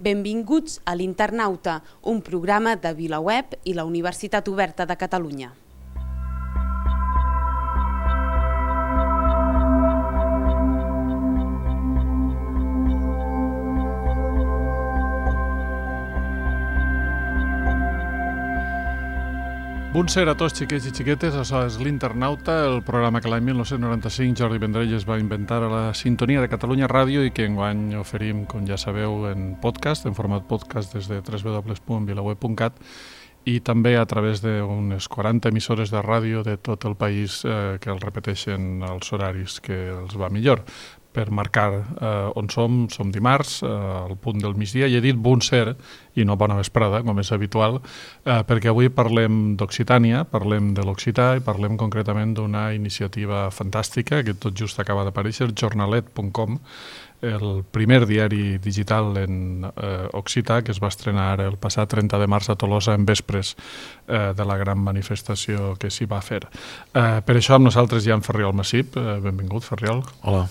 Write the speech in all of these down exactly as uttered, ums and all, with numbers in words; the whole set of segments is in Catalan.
Benvinguts a l'Internauta, un programa de VilaWeb i la Universitat Oberta de Catalunya. Bon ser a tots, xiquets i xiquetes. Això és l'Internauta, el programa que l'any mil nou-cents noranta-cinc Jordi Vendrell va inventar a la sintonia de Catalunya Ràdio i que enguany oferim, com ja sabeu, en podcast, en format podcast des de w w w punt vilaweb punt cat i també a través d'unes quaranta emissores de ràdio de tot el país eh, que el repeteixen els horaris que els va millor. Per marcar eh, on som, som dimarts, eh, al punt del migdia, i he dit bon ser i no bona vesprada, com és habitual, eh, perquè avui parlem d'Occitània, parlem de l'Occità i parlem concretament d'una iniciativa fantàstica que tot just acaba d'aparèixer, jornalet punt com, el primer diari digital en eh, occità que es va estrenar ara el passat trenta de març a Tolosa en vespres eh, de la gran manifestació que s'hi va fer. Eh, per això amb nosaltres hi ha en Ferriol Massip. Eh, benvingut, Ferriol. Hola.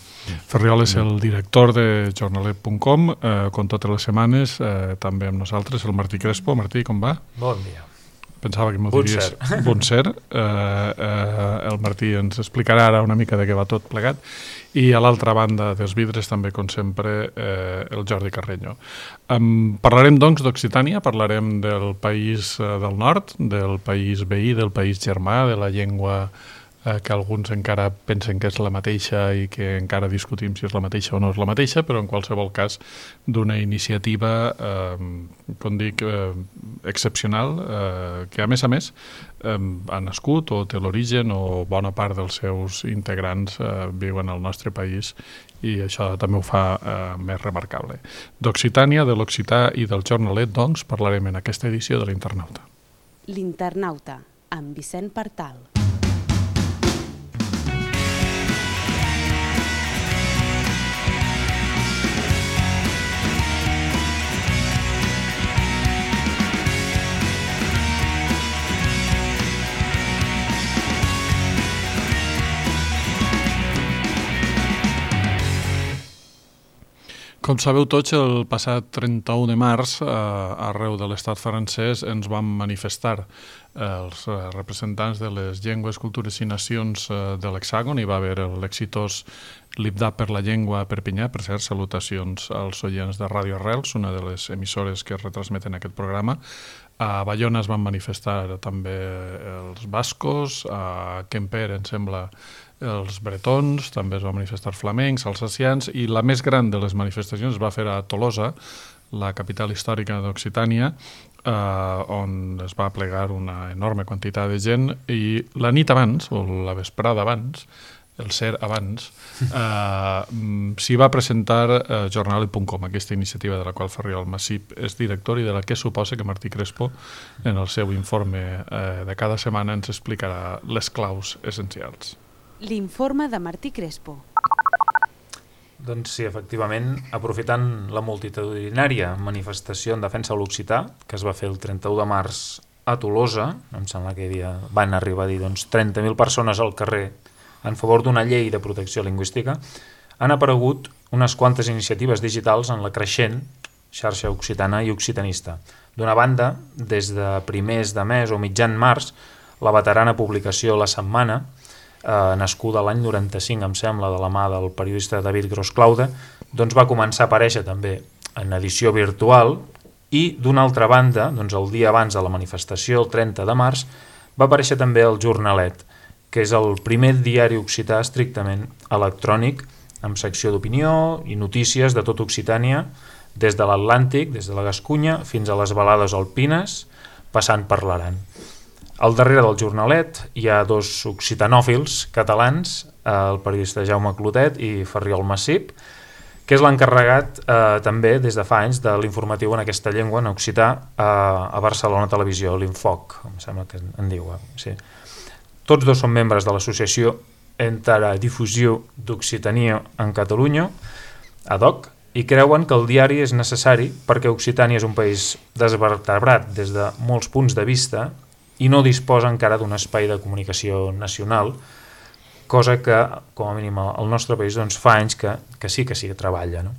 Ferriol és el director de jornalet punt com, eh, com totes les setmanes, eh, també amb nosaltres el Martí Crespo. Martí, com va? Bon dia. Pensava que m'ho diries. Bon ser. Eh, eh, el Martí ens explicarà ara una mica de què va tot plegat. I a l'altra banda dels vidres també, com sempre, eh, el Jordi Carreño. Um, parlarem, doncs, d'Occitània, parlarem del país eh, del nord, del país veí, del país germà, de la llengua eh, que alguns encara pensen que és la mateixa i que encara discutim si és la mateixa o no és la mateixa, però en qualsevol cas d'una iniciativa, eh, com dic, eh, excepcional, eh, que a més a més eh, ha nascut o té l'origen o bona part dels seus integrants eh, viuen al nostre país i això també ho fa eh, més remarcable. D'Occitània, de l'Occità i del jornalet, doncs, parlarem en aquesta edició de l'Internauta. L'Internauta, amb Vicent Partal. Com sabeu tots, el passat trenta-u de març, eh, arreu de l'estat francès, ens vam manifestar eh, els representants de les llengües, cultures i nacions eh, de l'Hexàgon. Hi va haver l'exitós Libdà per la llengua a Perpinyà. Per cert, salutacions als oients de Ràdio Arrels, una de les emissores que retransmeten aquest programa. A Bayona es van manifestar també els bascos, a Quimper, em sembla, els bretons, també es van manifestar flamencs, alsacians, i la més gran de les manifestacions es va fer a Tolosa, la capital històrica d'Occitània, eh, on es va plegar una enorme quantitat de gent, i la nit abans, o la vesprada abans, el ser abans, eh, s'hi va presentar eh, jornalet punt com, aquesta iniciativa de la qual Ferriol Massip és director i de la que suposa que Martí Crespo, en el seu informe eh, de cada setmana, ens explicarà les claus essencials. L'informe de Martí Crespo. Doncs sí, efectivament, aprofitant la multitudinària manifestació en defensa de l'occità, que es va fer el trenta-u de març a Tolosa, em sembla que havia, van arribar a dir doncs, trenta mil persones al carrer en favor d'una llei de protecció lingüística, han aparegut unes quantes iniciatives digitals en la creixent xarxa occitana i occitanista. D'una banda, des de primers de mes o mitjan març, la veterana publicació La Setmana, eh, nascuda l'any noranta-cinc, em sembla, de la mà del periodista David Gros-Claude, doncs va començar a aparèixer també en edició virtual i, d'una altra banda, doncs el dia abans de la manifestació, el trenta de març, va aparèixer també el Jornalet, que és el primer diari occità estrictament electrònic, amb secció d'opinió i notícies de tot Occitània, des de l'Atlàntic, des de la Gascunya, fins a les balades alpines, passant per l'Aran. Al darrere del Jornalet hi ha dos occitanòfils catalans, el periodista Jaume Clotet i Ferriol Massip, que és l'encarregat eh, també des de fa anys de l'informatiu en aquesta llengua, en occità, eh, a Barcelona Televisió, l'Infoc, em sembla que en diu. Sí. Tots dos són membres de l'associació Interdifusió d'Occitania en Catalunya, A D O C, i creuen que el diari és necessari perquè Occitània és un país desvertebrat des de molts punts de vista i no disposa encara d'un espai de comunicació nacional, cosa que, com a mínim, al nostre país doncs, fa anys que, que sí que sí que treballa. No?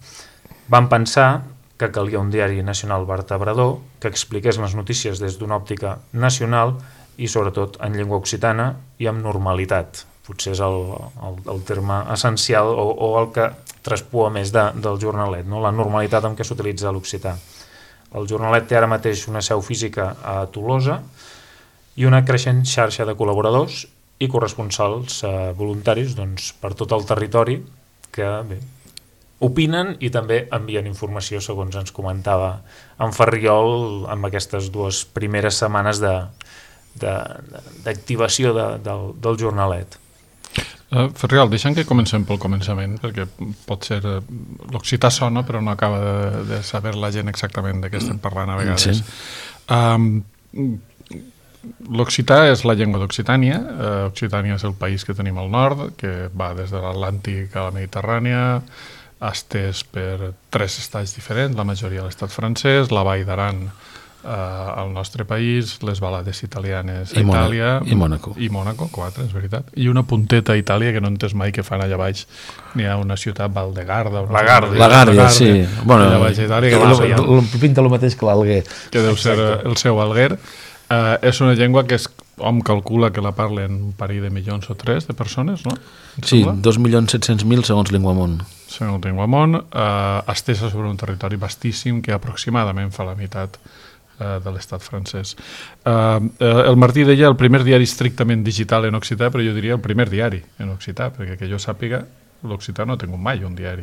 Vam pensar que calia un diari nacional vertebrador que expliqués les notícies des d'una òptica nacional i sobretot en llengua occitana i amb normalitat. Potser és el, el, el terme essencial o, o el que traspua més de, del jornalet, no? La normalitat amb què s'utilitza l'occità. El jornalet té ara mateix una seu física a Tolosa i una creixent xarxa de col·laboradors i corresponsals eh, voluntaris doncs, per tot el territori que bé, opinen i també envien informació, segons ens comentava en Ferriol, amb aquestes dues primeres setmanes de d'activació de, de, del, del jornalet. Uh, Ferriol, deixem que comencem pel començament, perquè pot ser... Uh, l'occità sona, però no acaba de, de saber la gent exactament de què estem parlant a vegades. Sí. Um, L'occità és la llengua d'Occitània. Uh, Occitània és el país que tenim al nord, que va des de l'Atlàntic a la Mediterrània, estès per tres estats diferents, la majoria a l'estat francès, la Vall d'Aran Uh, al nostre país, les balades italianes a Itàlia i Mònaco. I Mònaco, quatre, és veritat. I una punteta a Itàlia que no entès mai que fan allà baix. N'hi ha una ciutat, Valdegarda. La Gàrdia, la Gàrdia, sí. Bueno, allà baix a Itàlia. Que que lo, lo, pinta el mateix que l'Alguer. Que deu ser el seu Alguer. Uh, és una llengua que es, hom calcula que la parlen un parell de milions o tres de persones, no? Sí, dos milions set-cents mil segons Linguamont. Segons Linguamont, uh, estesa sobre un territori vastíssim que aproximadament fa la meitat de l'estat francès. Uh, el Martí deia el primer diari estrictament digital en occità, però jo diria el primer diari en occità, perquè que jo sàpiga, l'occità no ha tingut mai un diari.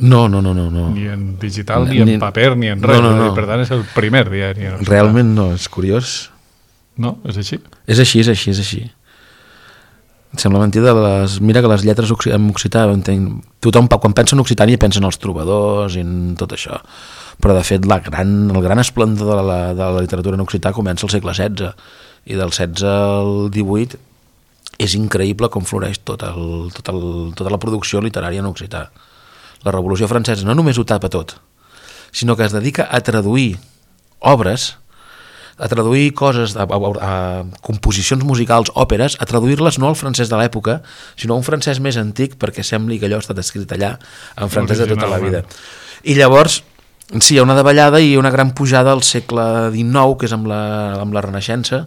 No, no, no, no. no. Ni en digital, ni, ni en paper, ni en res. No, no, no. Per tant, és el primer diari en occità. Realment no, és curiós. No? És així? És així, és així, és així. Em sembla mentida, les... mira que les lletres en occità, entenc... tothom quan pensa en Occitània pensa en els trobadors i en tot això. Però de fet la gran, el gran esplendor de la, de la literatura en occità comença al segle setze i del setze al divuit és increïble com floreix tot el, tot el, tota la producció literària en occità. La Revolució Francesa no només ho tapa tot, sinó que es dedica a traduir obres, a traduir coses, a, a, a composicions musicals, òperes, a traduir-les no al francès de l'època, sinó a un francès més antic perquè sembli que allò ha estat escrit allà en francès de tota la vida. I llavors sí, hi ha una davallada i una gran pujada al segle dinou, que és amb la, amb la Renaixença,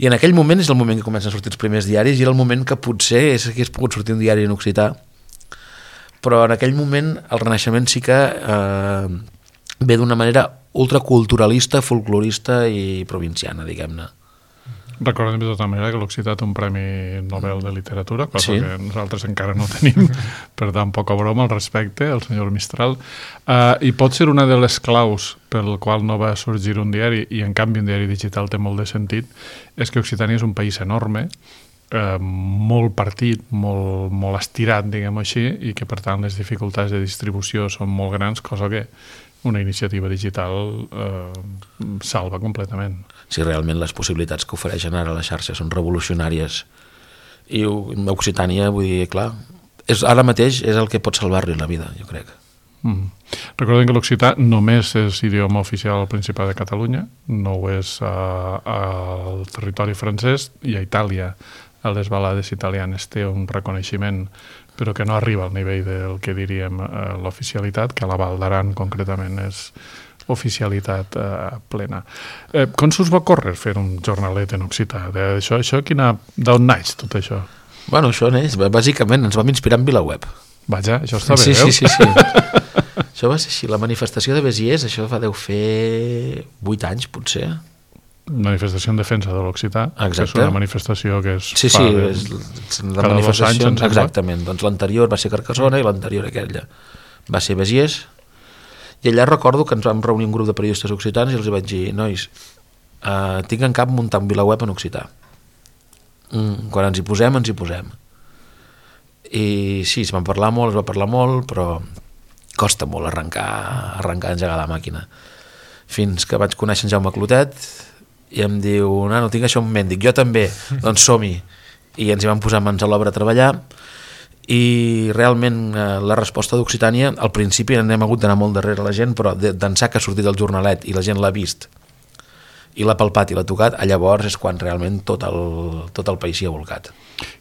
i en aquell moment és el moment que comencen a sortir els primers diaris i era el moment que potser és que hagués pogut sortir un diari en occità, però en aquell moment el Renaixement sí que eh, ve d'una manera ultraculturalista, folclorista i provinciana, diguem-ne. Recordem de tota manera que l'occità té un Premi Nobel de Literatura, cosa sí. que nosaltres encara no tenim, per tant, poca broma al respecte, el senyor Mistral. Uh, I pot ser una de les claus pel qual no va sorgir un diari, i en canvi un diari digital té molt de sentit, és que Occitània és un país enorme, uh, molt partit, molt, molt estirat, diguem-ho així, i que per tant les dificultats de distribució són molt grans, cosa que una iniciativa digital eh, salva completament. Sí, realment les possibilitats que ofereixen ara la xarxa són revolucionàries. I Occitània, vull dir, clar, és, ara mateix és el que pot salvar-li la vida, jo crec. Mm. Recordem que l'occità només és idioma oficial al Principat de Catalunya, no ho és uh, al territori francès, i a Itàlia, a les balades italianes, té un reconeixement però que no arriba al nivell del que diríem eh, l'oficialitat, que a la Val d'Aran concretament és oficialitat eh, plena. Eh, com s'us va córrer fer un jornalet en occità? Això, això quina, d'on naix tot això? Bueno, això neix, bàsicament ens vam inspirar en VilaWeb. Vaja, això està bé, sí, veus? Sí, sí, sí. Això va ser així, la manifestació de Béziers, això va deu fer vuit anys, potser. Manifestació en defensa de l'occità, que és una manifestació que es sí, fa sí, de, és la manifestació, anys, exactament, doncs l'anterior va ser Carcassona i l'anterior aquella va ser Béziers, i allà recordo que ens vam reunir un grup de periodistes occitans i els vaig dir, nois, uh, tinc en cap muntar un VilaWeb en occità, mm, quan ens hi posem, ens hi posem, i sí, es van parlar molt, es va parlar molt, però costa molt arrencar, arrencar a engegar la màquina, fins que vaig conèixer en Jaume Clotet i em diu, nano, tinc això en ment, dic, jo també, doncs som-hi, i ens hi vam posar mans a l'obra a treballar, i realment eh, la resposta d'Occitània, al principi n'hem hagut d'anar molt darrere la gent, però d'ençà que ha sortit el jornalet i la gent l'ha vist, i l'ha palpat i l'ha tocat, llavors és quan realment tot el, tot el país s'hi ha volcat.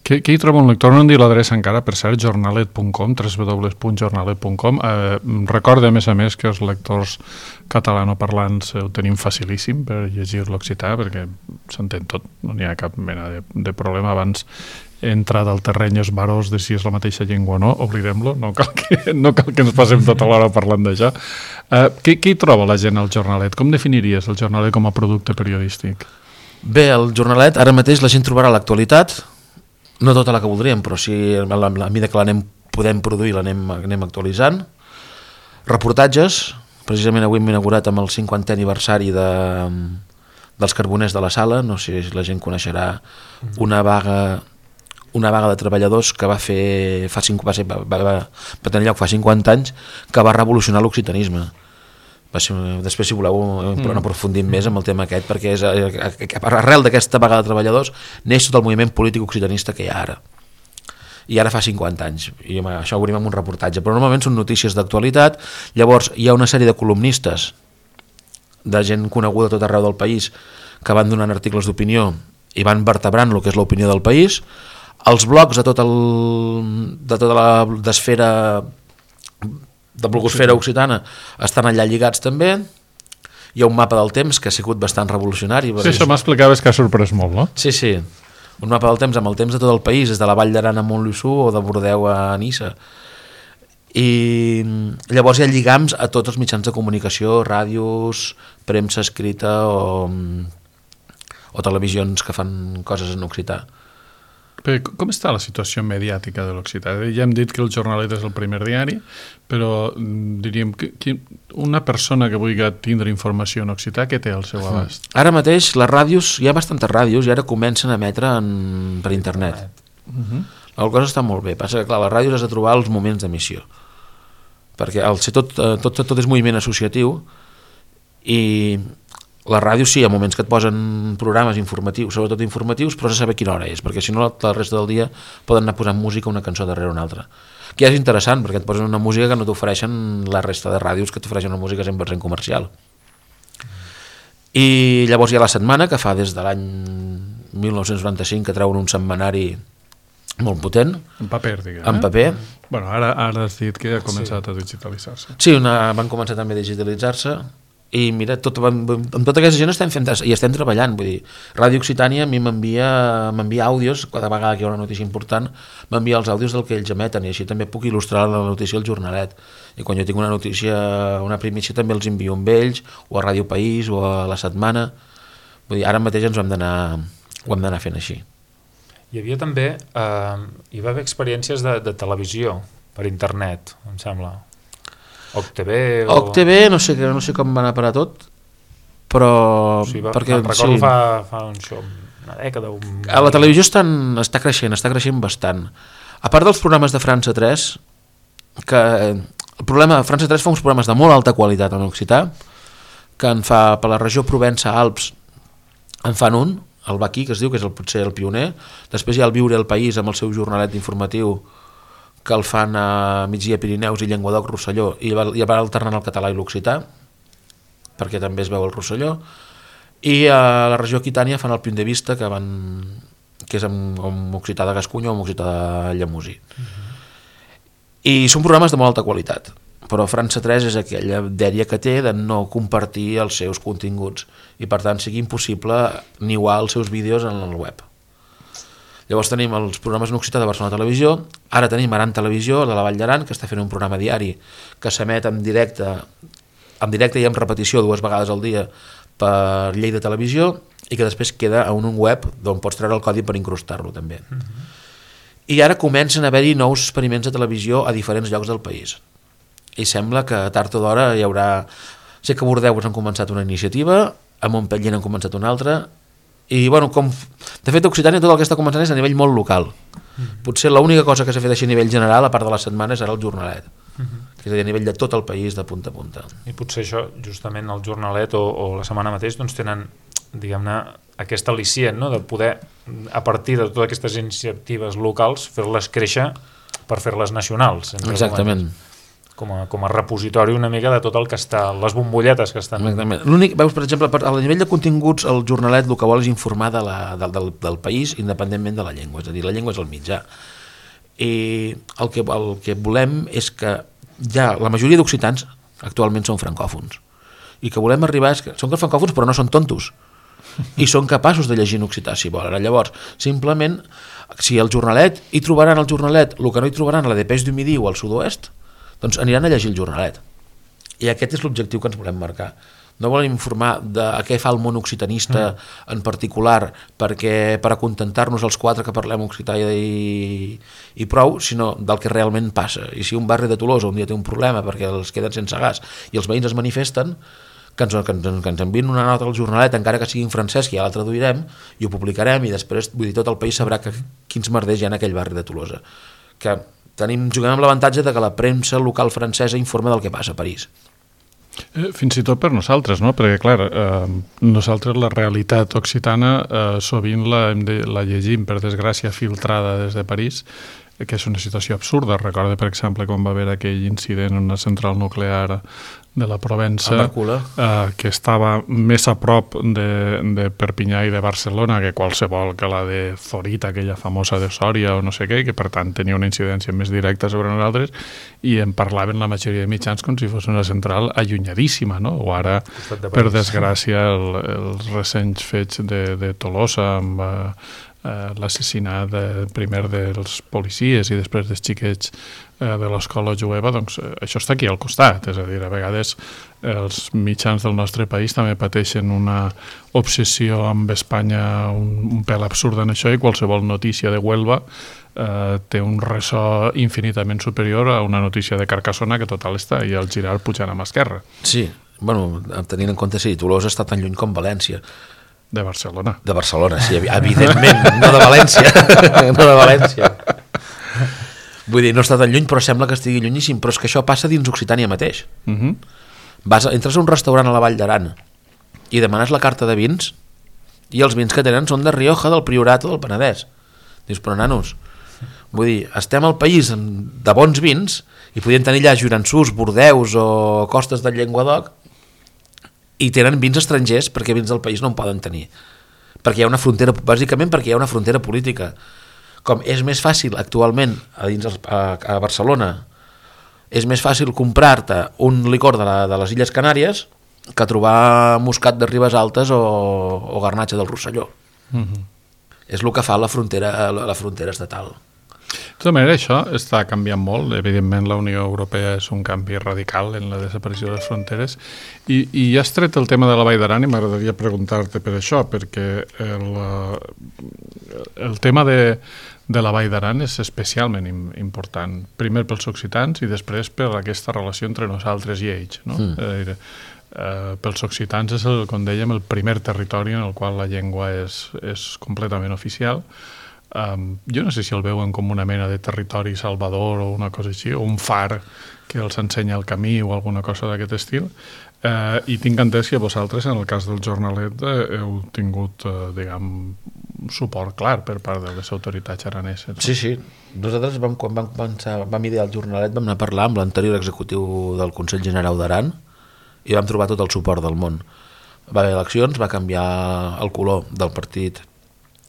Què, què hi troba un lector? No em dir l'adreça encara, per cert, jornalet punt com, w w w punt jornalet punt com. Eh, recorda, a més a més, que els lectors catalanoparlants ho tenim facilíssim per llegir l'occità, perquè s'entén tot, no n'hi ha cap mena de, de problema. Abans entrar al terreny esbarós de si és la mateixa llengua o no, oblidem-lo, no cal que, no cal que ens passem tota l'hora parlant d'això. Eh, què, què hi troba la gent al jornalet? Com definiries el jornalet com a producte periodístic? Bé, el jornalet, ara mateix la gent trobarà l'actualitat, no tota la que voldríem, però sí, a la, a la mida que l'anem podem produir l'anem anem actualitzant. Reportatges, precisament avui hem inaugurat amb el cinquantè aniversari de, dels Carboners de la Sala, no sé si la gent coneixerà una vaga una vaga de treballadors que va fer fa cinc, va, ser, va, va, va tenir lloc fa cinquanta anys, que va revolucionar l'occitanisme. Va ser, després, si voleu, mm. aprofundim més amb el tema aquest, perquè és, arrel d'aquesta vaga de treballadors neix tot el moviment polític occitanista que hi ha ara. I ara fa cinquanta anys, i home, això ho veurem en un reportatge, però normalment són notícies d'actualitat. Llavors hi ha una sèrie de columnistes, de gent coneguda a tot arreu del país, que van donant articles d'opinió i van vertebrant el que és l'opinió del país. Els blogs de, tot el, de tota la d'esfera de blogosfera occitana estan allà lligats també. Hi ha un mapa del temps que ha sigut bastant revolucionari. Sí, això m'explicaves que ha sorprès molt, no? Sí, sí. Un mapa del temps amb el temps de tot el país, des de la Vall d'Aran a Montluçú o de Bordeu a Nissa. I llavors hi ha lligams a tots els mitjans de comunicació, ràdios, premsa escrita o, o televisions que fan coses en occità. Però com està la situació mediàtica de l'occità? Ja hem dit que el Jornalet és el primer diari, però diríem que una persona que vulgui tindre informació en occità, què té al seu abast? Ara mateix les ràdios, hi ha bastantes ràdios i ara comencen a emetre en, per internet. Uh-huh. La cosa està molt bé, passa que clar, les ràdios has de trobar els moments d'emissió, perquè al ser tot, tot, tot és moviment associatiu i la ràdio sí, hi ha moments que et posen programes informatius, sobretot informatius, però has de saber quina hora és, perquè si no la resta del dia poden anar posant música una cançó darrere una altra. Que és interessant, perquè et posen una música que no t'ofereixen la resta de ràdios, que t'ofereixen una música cent per cent comercial. I llavors hi ha La Setmana, que fa des de l'any mil nou-cents noranta-cinc que treuen un setmanari molt potent. En paper, diguem. En paper. Bueno, ara, ara has dit que ha començat sí. a digitalitzar-se. Sí, una, van començar també a digitalitzar-se. I mira, tot, amb tota aquesta gent estem fent i estem treballant, vull dir, Ràdio Occitània a mi m'envia m'envia àudios, cada vegada que hi ha una notícia important m'envia els àudios del que ells emeten i així també puc il·lustrar la notícia al Jornalet, i quan jo tinc una notícia, una primícia també els envio amb ells, o a Ràdio País o a La Setmana. Vull dir, ara mateix ens ho hem d'anar ho hem d'anar fent així. Hi havia també eh, hi va haver experiències de, de televisió per internet, em sembla. O C T V o... O C T V, no sé, no sé com va anar a parar tot, però... Sí, va, perquè, recordo sí. fa, fa un show, una dècada... Un... A la televisió estan, està creixent, està creixent bastant. A part dels programes de França tres, que el problema, França tres fa uns programes de molt alta qualitat en occità, que en fa per la regió Provença-Alps, en fan un, el Baquí, que es diu, que és el, potser el pioner. Després hi ha el Viure el País amb el seu jornalet informatiu, que el fan a Migdia Pirineus i Llenguadoc-Rosselló, i va alternant el català i l'occità, perquè també es veu el Rosselló, i a la regió Aquitània fan el Punt de Vista, que, van, que és amb, amb occità de Gascunya o amb occità de Llemosí. Uh-huh. I són programes de molt alta qualitat, però França tres és aquella dèria que té de no compartir els seus continguts, i per tant sigui impossible niuar els seus vídeos en el web. Llavors tenim els programes en occità de Barcelona Televisió, ara tenim Aran Televisió, de la Vall d'Aran, que està fent un programa diari que s'emet en directe, en directe i en repetició dues vegades al dia per Lleida Televisió, i que després queda a un web d'on pots treure el codi per incrustar-lo també. Uh-huh. I ara comencen a haver-hi nous experiments de televisió a diferents llocs del país. I sembla que tard o d'hora hi haurà... Sé que a Bordeu han començat una iniciativa, a Montpellier han començat una altra, i bueno, com de fet a Occitània tot el que està començant és a nivell molt local. Uh-huh. Potser l'única cosa que s'ha fet així a nivell general, a part de la setmana, serà el Jornalet, uh-huh. que és a nivell de tot el país, de punta a punta. I potser això, justament el Jornalet o, o la setmana mateix, doncs tenen, diguem-ne, aquest al·licient, no?, de poder, a partir de totes aquestes iniciatives locals, fer-les créixer per fer-les nacionals. Exactament. Moments. com a, com a repositori una mica de tot el que està, les bombolletes que estan... L'únic, veus, per exemple, a nivell de continguts, el jornalet el que vol és informar de la, del, del, del país independentment de la llengua, és a dir, la llengua és el mitjà. I el que, el que volem és que ja la majoria d'occitans actualment són francòfons, i que volem arribar és que són francòfons però no són tontos, i són capaços de llegir en occità si volen. Llavors, simplement, si el jornalet hi trobaran el jornalet el que no hi trobaran a la Dépêche du Midi o al Sud-oest, doncs aniran a llegir el jornalet. I aquest és l'objectiu que ens volem marcar. No volem informar de què fa el món occitanista mm. en particular perquè per acontentar-nos els quatre que parlem occità i, i prou, sinó del que realment passa. I si un barri de Tolosa un dia té un problema perquè els queden sense gas i els veïns es manifesten, que ens, que ens, que ens envien una nota al jornalet, encara que sigui en francès, que ja la traduirem i ho publicarem, i després vull dir, tot el país sabrà que, quins merders hi ha en aquell barri de Tolosa. Que tenim, juguem amb l'avantatge de que la premsa local francesa informa del que passa a París. Eh, fins i tot per nosaltres, no? Perquè, clar, eh, nosaltres la realitat occitana eh, sovint la, hem de, la llegim, per desgràcia, filtrada des de París, eh, que és una situació absurda. Recorda, per exemple, quan va haver aquell incident en una central nuclear de la Provença, eh, que estava més a prop de, de Perpinyà i de Barcelona que qualsevol que la de Zorita, aquella famosa de Sòria o no sé què, que per tant tenia una incidència més directa sobre nosaltres, i en parlaven la majoria de mitjans com si fos una central allunyadíssima, no? O ara, per desgràcia, el, els recents fets de, de Tolosa amb eh, l'assassinat de, primer dels policies i després dels xiquets eh, de l'escola jueva, doncs eh, això està aquí al costat, és a dir, a vegades els mitjans del nostre país també pateixen una obsessió amb Espanya un, un pèl absurd en això, i qualsevol notícia de Huelva eh, té un ressò infinitament superior a una notícia de Carcassona que total està i el Girard pujant a mà esquerra. Sí, bueno, tenint en compte, sí, Tolosa està tan lluny com València. De Barcelona. De Barcelona, sí, evidentment, no de València, no de València. Vull dir, no està tan lluny, però sembla que estigui llunyíssim, però és que això passa dins Occitània mateix. Uh-huh. Vas, entres a un restaurant a la Vall d'Aran i demanes la carta de vins i els vins que tenen són de Rioja, del Priorat o del Penedès. Dius, però nanos, vull dir, estem al país de bons vins i podien tenir allà Juransús, Bordeus o Costes del Llenguadoc, i tenen vins estrangers perquè vins del país no en poden tenir, perquè hi ha una frontera, bàsicament perquè hi ha una frontera política. Com és més fàcil actualment a, dins el, a, a Barcelona, és més fàcil comprar-te un licor de, la, de les Illes Canàries que trobar moscat de Ribes Altes o, o garnatxa del Rosselló. Uh-huh. És el que fa la frontera, la, la frontera estatal. De tota manera, això està canviant molt. Evidentment, la Unió Europea és un canvi radical en la desaparició de les fronteres. I, i ja has tret el tema de la Vall d'Aran i m'agradaria preguntar-te per això, perquè el, el tema de, de la Vall d'Aran és especialment important. Primer pels occitans i després per aquesta relació entre nosaltres i ells. No? Mm. Eh, eh, pels occitans és, el, com dèiem, el primer territori en el qual la llengua és, és completament oficial. Um, jo no sé si el veuen com una mena de territori salvador o una cosa així, o un far que els ensenya el camí o alguna cosa d'aquest estil, uh, i tinc entès que vosaltres en el cas del jornalet eh, heu tingut uh, diguem, suport clar per part de les autoritats araneses. Sí, sí, nosaltres vam, quan vam, pensar, vam idear el jornalet vam anar a parlar amb l'anterior executiu del Consell Generau d'Aran i vam trobar tot el suport del món. Va haver eleccions, va canviar el color del partit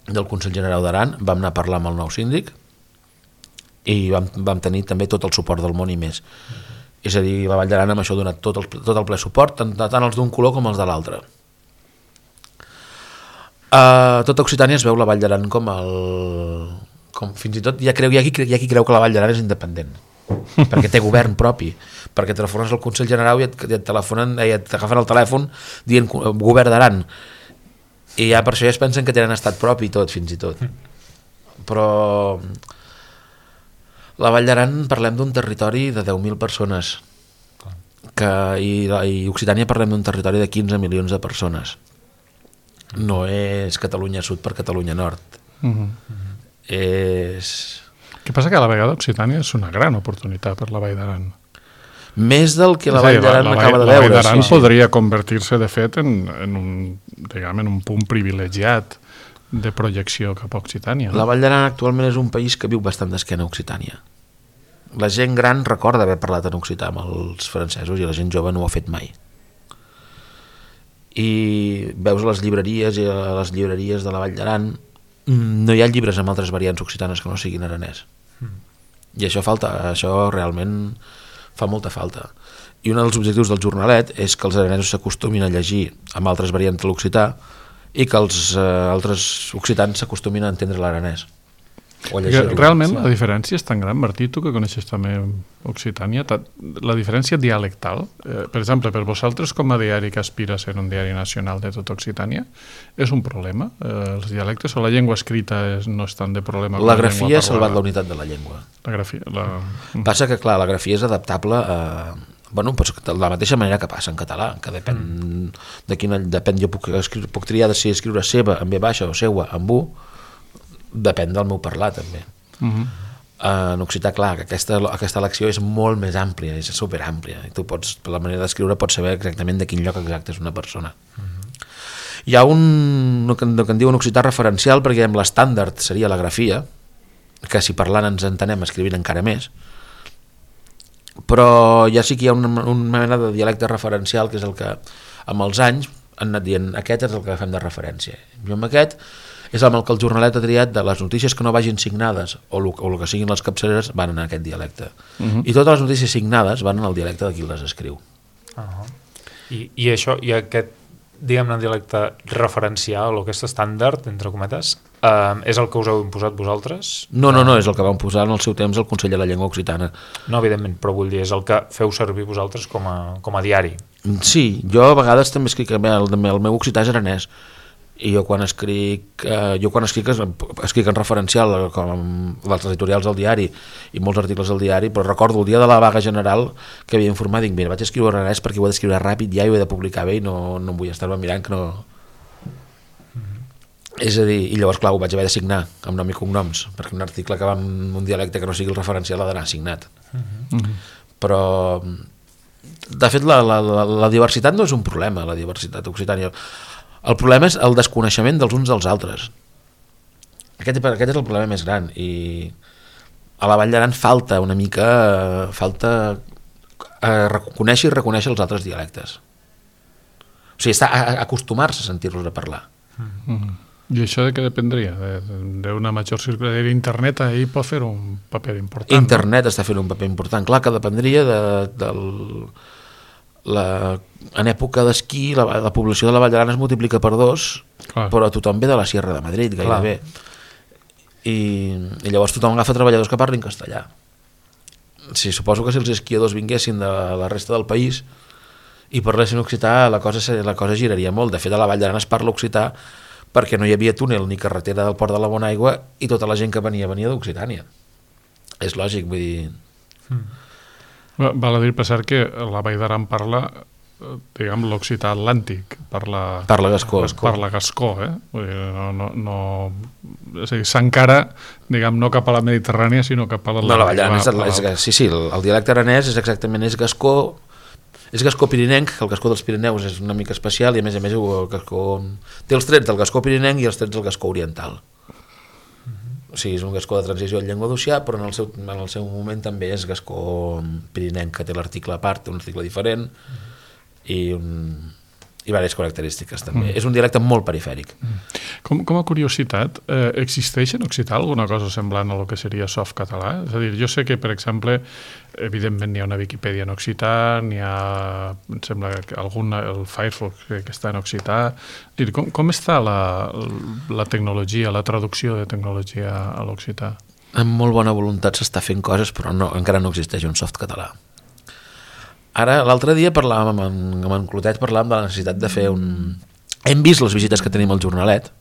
del Consell Generau d'Aran, vam anar a parlar amb el nou síndic i vam, vam tenir també tot el suport del món i més. Uh-huh. És a dir, la Vall d'Aran amb això ha donat tot el, tot el ple suport, tant, tant els d'un color com els de l'altre. Uh, tota Occitània es veu la Vall d'Aran com el... Com, fins i tot hi ha, creu, hi, ha qui, hi ha qui creu que la Vall d'Aran és independent perquè té govern propi, perquè telefones al Consell Generau i et, i et telefonen i et agafen el telèfon dient govern d'Aran. I ja per això ja es pensen que tenen estat propi i tot, fins i tot. Però la Vall d'Aran parlem d'un territori de deu mil persones que, i, i Occitània parlem d'un territori de quinze milions de persones. No és Catalunya Sud per Catalunya Nord. Uh-huh. És... Què passa que a la vegada Occitània és una gran oportunitat per la Vall d'Aran. Més del que la Vall d'Aran m'acaba de veure. La Vall d'Aran sí, podria sí. convertir-se, de fet, en, en, un, diguem, en un punt privilegiat de projecció cap a Occitània. No? La Vall d'Aran actualment és un país que viu bastant d'esquena a Occitània. la gent gran recorda haver parlat en occità amb els francesos i la gent jove no ho ha fet mai. I veus a les llibreries i a les llibreries de la Vall d'Aran no hi ha llibres amb altres variants occitanes que no siguin aranès. Mm. I això falta, això realment fa molta falta. I un dels objectius del jornalet és que els aranesos s'acostumin a llegir amb altres variants de l'occità i que els eh, altres occitans s'acostumin a entendre l'aranès. Realment sí. La diferència és tan gran, Martí, tu que coneixes també Occitània, la diferència dialectal, eh, per exemple, per vosaltres com a diari que aspira a ser un diari nacional de tota Occitània, és un problema? Eh, els dialectes o la llengua escrita és, no és tant de problema? La grafia ha salvat la unitat de la llengua. La grafia, la... Passa que, clar, la grafia és adaptable a... Bueno, pues, de la mateixa manera que passa en català, que depèn mm. de quina... Depèn, jo puc, escriure, puc triar de si escriure seva amb B baixa o seua amb U, depèn del meu parlar també. Uh-huh. En occità, clar, que aquesta, aquesta elecció és molt més àmplia, és superàmplia, i tu pots, per la manera d'escriure pots saber exactament de quin lloc exacte és una persona. Uh-huh. Hi ha un, no que, no que en diuen occità referencial, perquè l'estàndard seria la grafia, que si parlant ens entenem escrivint encara més, però ja sí que hi ha una, una mena de dialecte referencial que és el que amb els anys han anat dient aquest és el que fem de referència. Jo amb aquest és amb el que el jornalet ha triat de les notícies que no vagin signades o el, o el que siguin les capçaleres van en aquest dialecte. Uh-huh. I totes les notícies signades van en el dialecte de qui les escriu. Uh-huh. I, I això, i aquest, diguem-ne, dialecte referencial o aquest estàndard, entre cometes, eh, és el que us heu imposat vosaltres? No, no, no, és el que vam posar en el seu temps el Consell de la Llengua Occitana. No, evidentment, però vull dir, és el que feu servir vosaltres com a, com a diari. Sí, jo a vegades també escric, el, el meu occità és aranès, i jo quan escric eh, jo quan escric, escric en referencial com dels editorials del diari i molts articles del diari, però recordo el dia de la vaga general que havia informat, dic, mira, vaig escriure aranès perquè ho he d'escriure ràpid ja i ho he de publicar bé i no, no em vull estar-me mirant que no... Mm-hmm. És a dir, i llavors clar, ho vaig haver de signar amb nom i cognoms, perquè un article que va en un dialecte que no sigui el referencial ha d'anar signat. Mm-hmm. Però de fet la, la, la, la diversitat no és un problema, la diversitat occitània. El problema és el desconeixement dels uns dels altres. Aquest, aquest és el problema més gran i a la Vall d'Aran falta una mica falta eh, conèixer i reconèixer els altres dialectes. O sigui, està a, a acostumar-se a sentir-los a parlar. Mm-hmm. I això de què dependria? D'una major circulació d'internet ahir pot fer un paper important. Internet no? Està fent un paper important. Clar que dependria de, del... La, en època d'esquí la, la població de la Vall d'Aran es multiplica per dos. Clar. Però tothom ve de la Sierra de Madrid gairebé. I, i llavors tothom agafa treballadors que parlin castellà. Sí, suposo que si els esquiadors vinguessin de la resta del país i parlessin occità la cosa, la cosa giraria molt. De fet a la Vall d'Aran es parla occità perquè no hi havia túnel ni carretera del Port de la Bonaigua i tota la gent que venia venia d'Occitània. És lògic, vull dir... Mm. Val a dir, per cert, que la Vall d'Aran parla, diguem, l'occità atlàntic, parla, parla gascó. Parla gascó, eh? Vull dir, no, no, no, és a dir, s'encara, diguem, no cap a la Mediterrània, sinó cap a la... No, la Vall d'Aran, és, és, sí, sí, el, el dialecte aranès és exactament, és gascó, és gascó pirinenc, el gascó dels Pirineus és una mica especial i a més a més el gascó, té els trets del gascó pirinenc i els trets del gascó oriental. O sigui, és un gascó de transició en llengua d'Ossià, però en el, seu, en el seu moment també és gascó pirinenc, que té l'article a part, un article diferent, i, un, i diverses característiques també. Mm. És un dialecte molt perifèric. Mm. Com, com a curiositat, eh, existeix en occità alguna cosa semblant a lo que seria softcatalà? És a dir, jo sé que, per exemple, evidentment n'hi ha una Viquipèdia en occità, n'hi ha, em sembla, alguna, el Firefox que, que està en occità. Dir, com, com està la, la tecnologia, la traducció de tecnologia a l'occità? Amb molt bona voluntat s'està fent coses, però no, encara no existeix un softcatalà. Ara, l'altre dia parlàvem amb en, amb en Clotet, parlàvem de la necessitat de fer un... Hem vist les visites que tenim al jornalet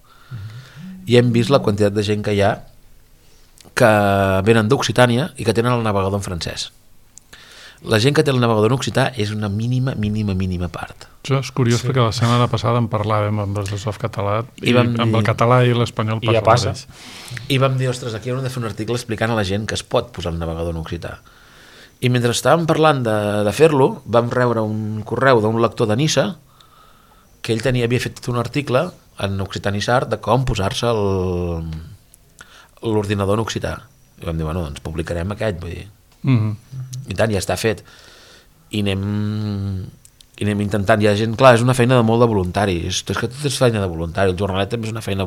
i hem vist la quantitat de gent que hi ha que venen d'Occitània i que tenen el navegador en francès. La gent que té el navegador en occità és una mínima, mínima, mínima part. Això és curiós, sí. Perquè la setmana passada en parlàvem amb els de softcatalà i, I amb dir... el català i l'espanyol ja passa. I vam dir, ostres, aquí hem de fer un article explicant a la gent que es pot posar el navegador en occità. I mentre estàvem parlant de, de fer-lo, vam rebre un correu d'un lector de Niça que ell tenia, havia fet un article en Occitanissart de com posar-se l'ordinador en occità. I vam dir, bueno, doncs publicarem aquest, vull dir. Mm-hmm. I tant, ja està fet. I anem, i anem intentant. Hi ha gent, clar, és una feina de molt de voluntaris. És que tot és feina de voluntari. El jornalet també és una feina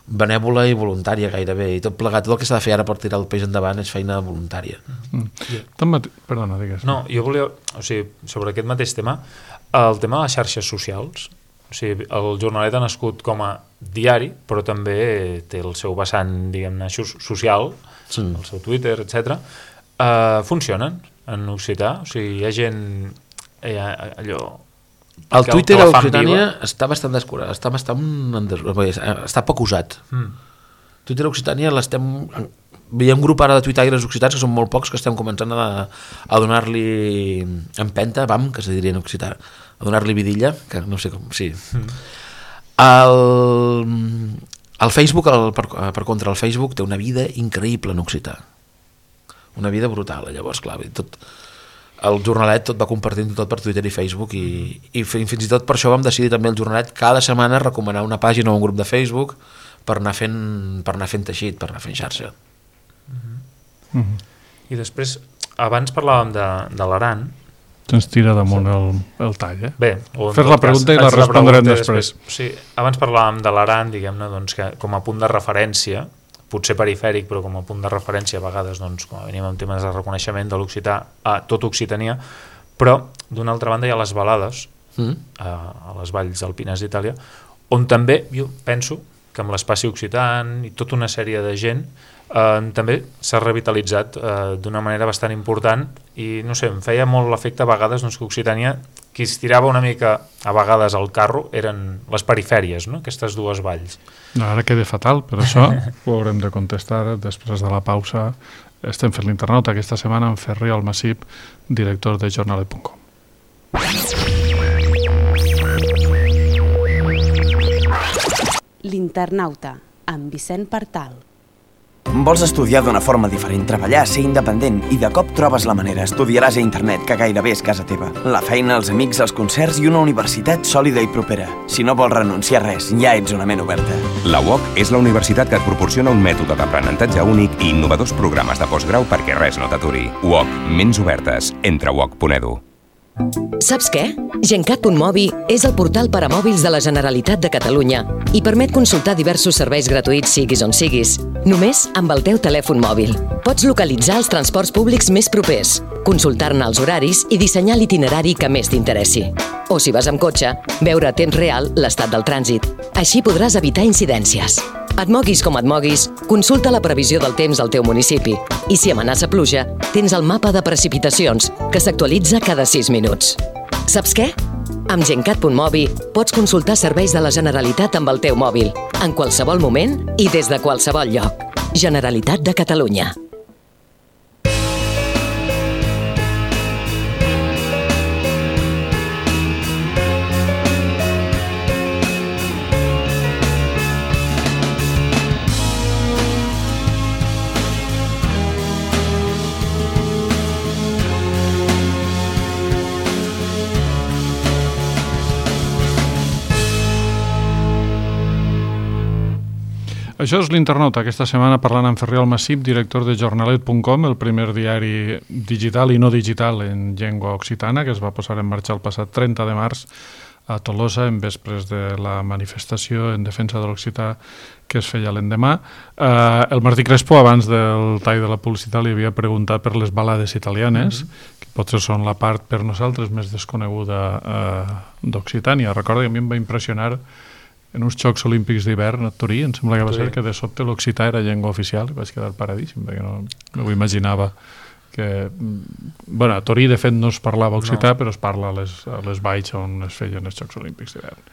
benèvola i voluntària gairebé. I tot plegat, tot el que s'ha de fer ara per tirar el peix endavant és feina voluntària. Mm. Mate... Perdona, digues. No, jo volia... O sigui, sobre aquest mateix tema, el tema de les xarxes socials, o sigui, el jornalet ha nascut com a diari, però també té el seu vessant, diguem-ne, social, sí. El seu Twitter, etcètera. Uh, funcionen en occità, o sigui, hi ha gent... Hi ha allò... El Twitter a Occitània està bastant descurat, està bastant està poc usat. Mm. Twitter a Occitània l'estem... Hi ha un grup ara de tuitaires occitans que són molt pocs que estem començant a, a donar-li empenta, vam, que se diria en occità, a donar-li vidilla, que no sé com... Sí. Mm. El, el Facebook, el, per, per contra, el Facebook té una vida increïble en occità. Una vida brutal, llavors, clar, tot... El jornalet tot va compartint tot per Twitter i Facebook i, i fins i tot per això vam decidir també el jornalet cada setmana recomanar una pàgina o un grup de Facebook per anar fent, per anar fent teixit, per anar fent xarxa. Mm-hmm. Mm-hmm. I després, abans parlàvem de, de l'Aran. Ens tira damunt el, el tall, eh? Bé, fer la pregunta cas, i la respondrem la després. després. Sí, abans parlàvem de l'Aran, diguem-ne, doncs, que com a punt de referència, potser perifèric, però com a punt de referència a vegades, doncs, com a venim amb temes de reconeixement de l'occità a tot Occitania, però d'una altra banda hi ha les balades mm. a, a les valls alpines d'Itàlia, on també jo penso que amb l'Espai Occitan i tota una sèrie de gent eh, també s'ha revitalitzat eh, d'una manera bastant important i no sé, em feia molt l'efecte a vegades doncs, que Occitània, qui es tirava una mica a vegades al carro eren les perifèries, no? Aquestes dues valls. No, ara queda fatal, però això ho haurem de contestar després de la pausa. Estem fent l'internauta aquesta setmana amb Ferriol Massip, director de jornalet punt com. L'internauta, amb Vicent Partal. Vols estudiar d'una forma diferent, treballar, ser independent i de cop trobes la manera, estudiaràs a internet, que gairebé és casa teva. La feina, els amics, els concerts i una universitat sòlida i propera. Si no vols renunciar a res, ja ets una ment oberta. La U O C és la universitat que et proporciona un mètode d'aprenentatge únic i innovadors programes de postgrau perquè res no t'aturi. U O C, ments obertes. Entra a u o c punt e d u. Saps què? Gencat punt mobi és el portal per a mòbils de la Generalitat de Catalunya i permet consultar diversos serveis gratuïts siguis on siguis, només amb el teu telèfon mòbil. Pots localitzar els transports públics més propers, consultar-ne els horaris i dissenyar l'itinerari que més t'interessi. O si vas amb cotxe, veure a temps real l'estat del trànsit. Així podràs evitar incidències. Et moguis com et moguis, consulta la previsió del temps al teu municipi i si amenaça pluja, tens el mapa de precipitacions, que s'actualitza cada sis minuts. Saps què? Amb Gencat punt mobi pots consultar serveis de la Generalitat amb el teu mòbil, en qualsevol moment i des de qualsevol lloc. Generalitat de Catalunya. Això és l'internauta, aquesta setmana parlant amb Ferriol Massip, director de jornalet punt com, el primer diari digital i no digital en llengua occitana, que es va posar en marxa el passat trenta de març a Tolosa, en vespres de la manifestació en defensa de l'occità que es feia l'endemà. Eh, el Martí Crespo, abans del tall de la publicitat, li havia preguntat per les balades italianes, mm-hmm. que potser són la part per nosaltres més desconeguda eh, d'Occitània. Recordo que a mi em va impressionar en uns Jocs Olímpics d'hivern a Torí, em sembla que va ser que de sobte l'occità era llengua oficial i vaig quedar paradíssim, perquè no, no ho imaginava. Que, bueno, a Torí, de fet, no es parlava occità, no. Però es parla a les, a les valls on es feien els Jocs Olímpics d'hivern.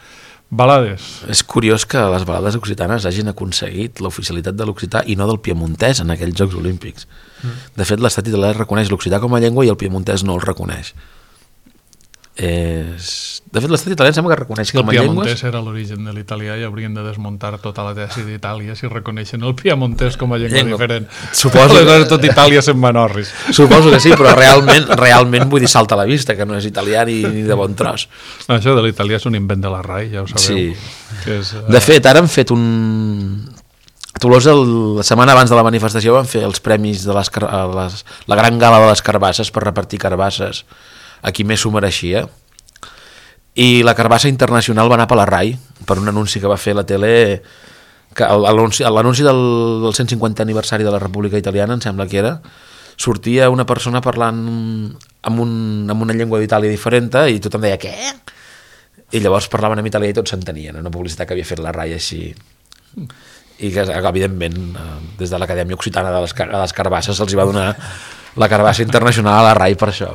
Balades. És curiós que les balades occitanes hagin aconseguit l'oficialitat de l'occità i no del piemontès en aquells Jocs Olímpics. Mm. De fet, l'estat italià reconeix l'occità com a llengua i el piemontès no el reconeix. És... De fet, l'estat italià sembla que reconeix com a llengües... El piemontès era l'origen de l'italià i haurien de desmuntar tota la tesi d'Itàlia si reconeixen el piemontès com a llengua, llengua. diferent. Suposo que tot Itàlia se'n va norris. Suposo que sí, però realment, realment vull dir salta a la vista, que no és italià ni, ni de bon tros. No, això de l'italià és un invent de la R A I, ja ho sabeu. Sí. Que és, uh... De fet, ara han fet un... A Tolosa, la setmana abans de la manifestació, van fer els premis de les, les, la gran gala de les carbasses per repartir carbasses a qui més s'ho mereixia. I la carbassa internacional va anar per la RAI per un anunci que va fer la tele, que l'anunci del, del cent cinquantè aniversari de la República Italiana, em sembla que era, sortia una persona parlant amb, un, amb una llengua d'Itàlia diferent i tothom deia, què? I llavors parlaven en italià i tots s'entenien, una publicitat que havia fet la RAI així. I que, evidentment, des de l'Acadèmia Occitana de les, de les Carbasses se'ls va donar la carbassa internacional a la RAI per això.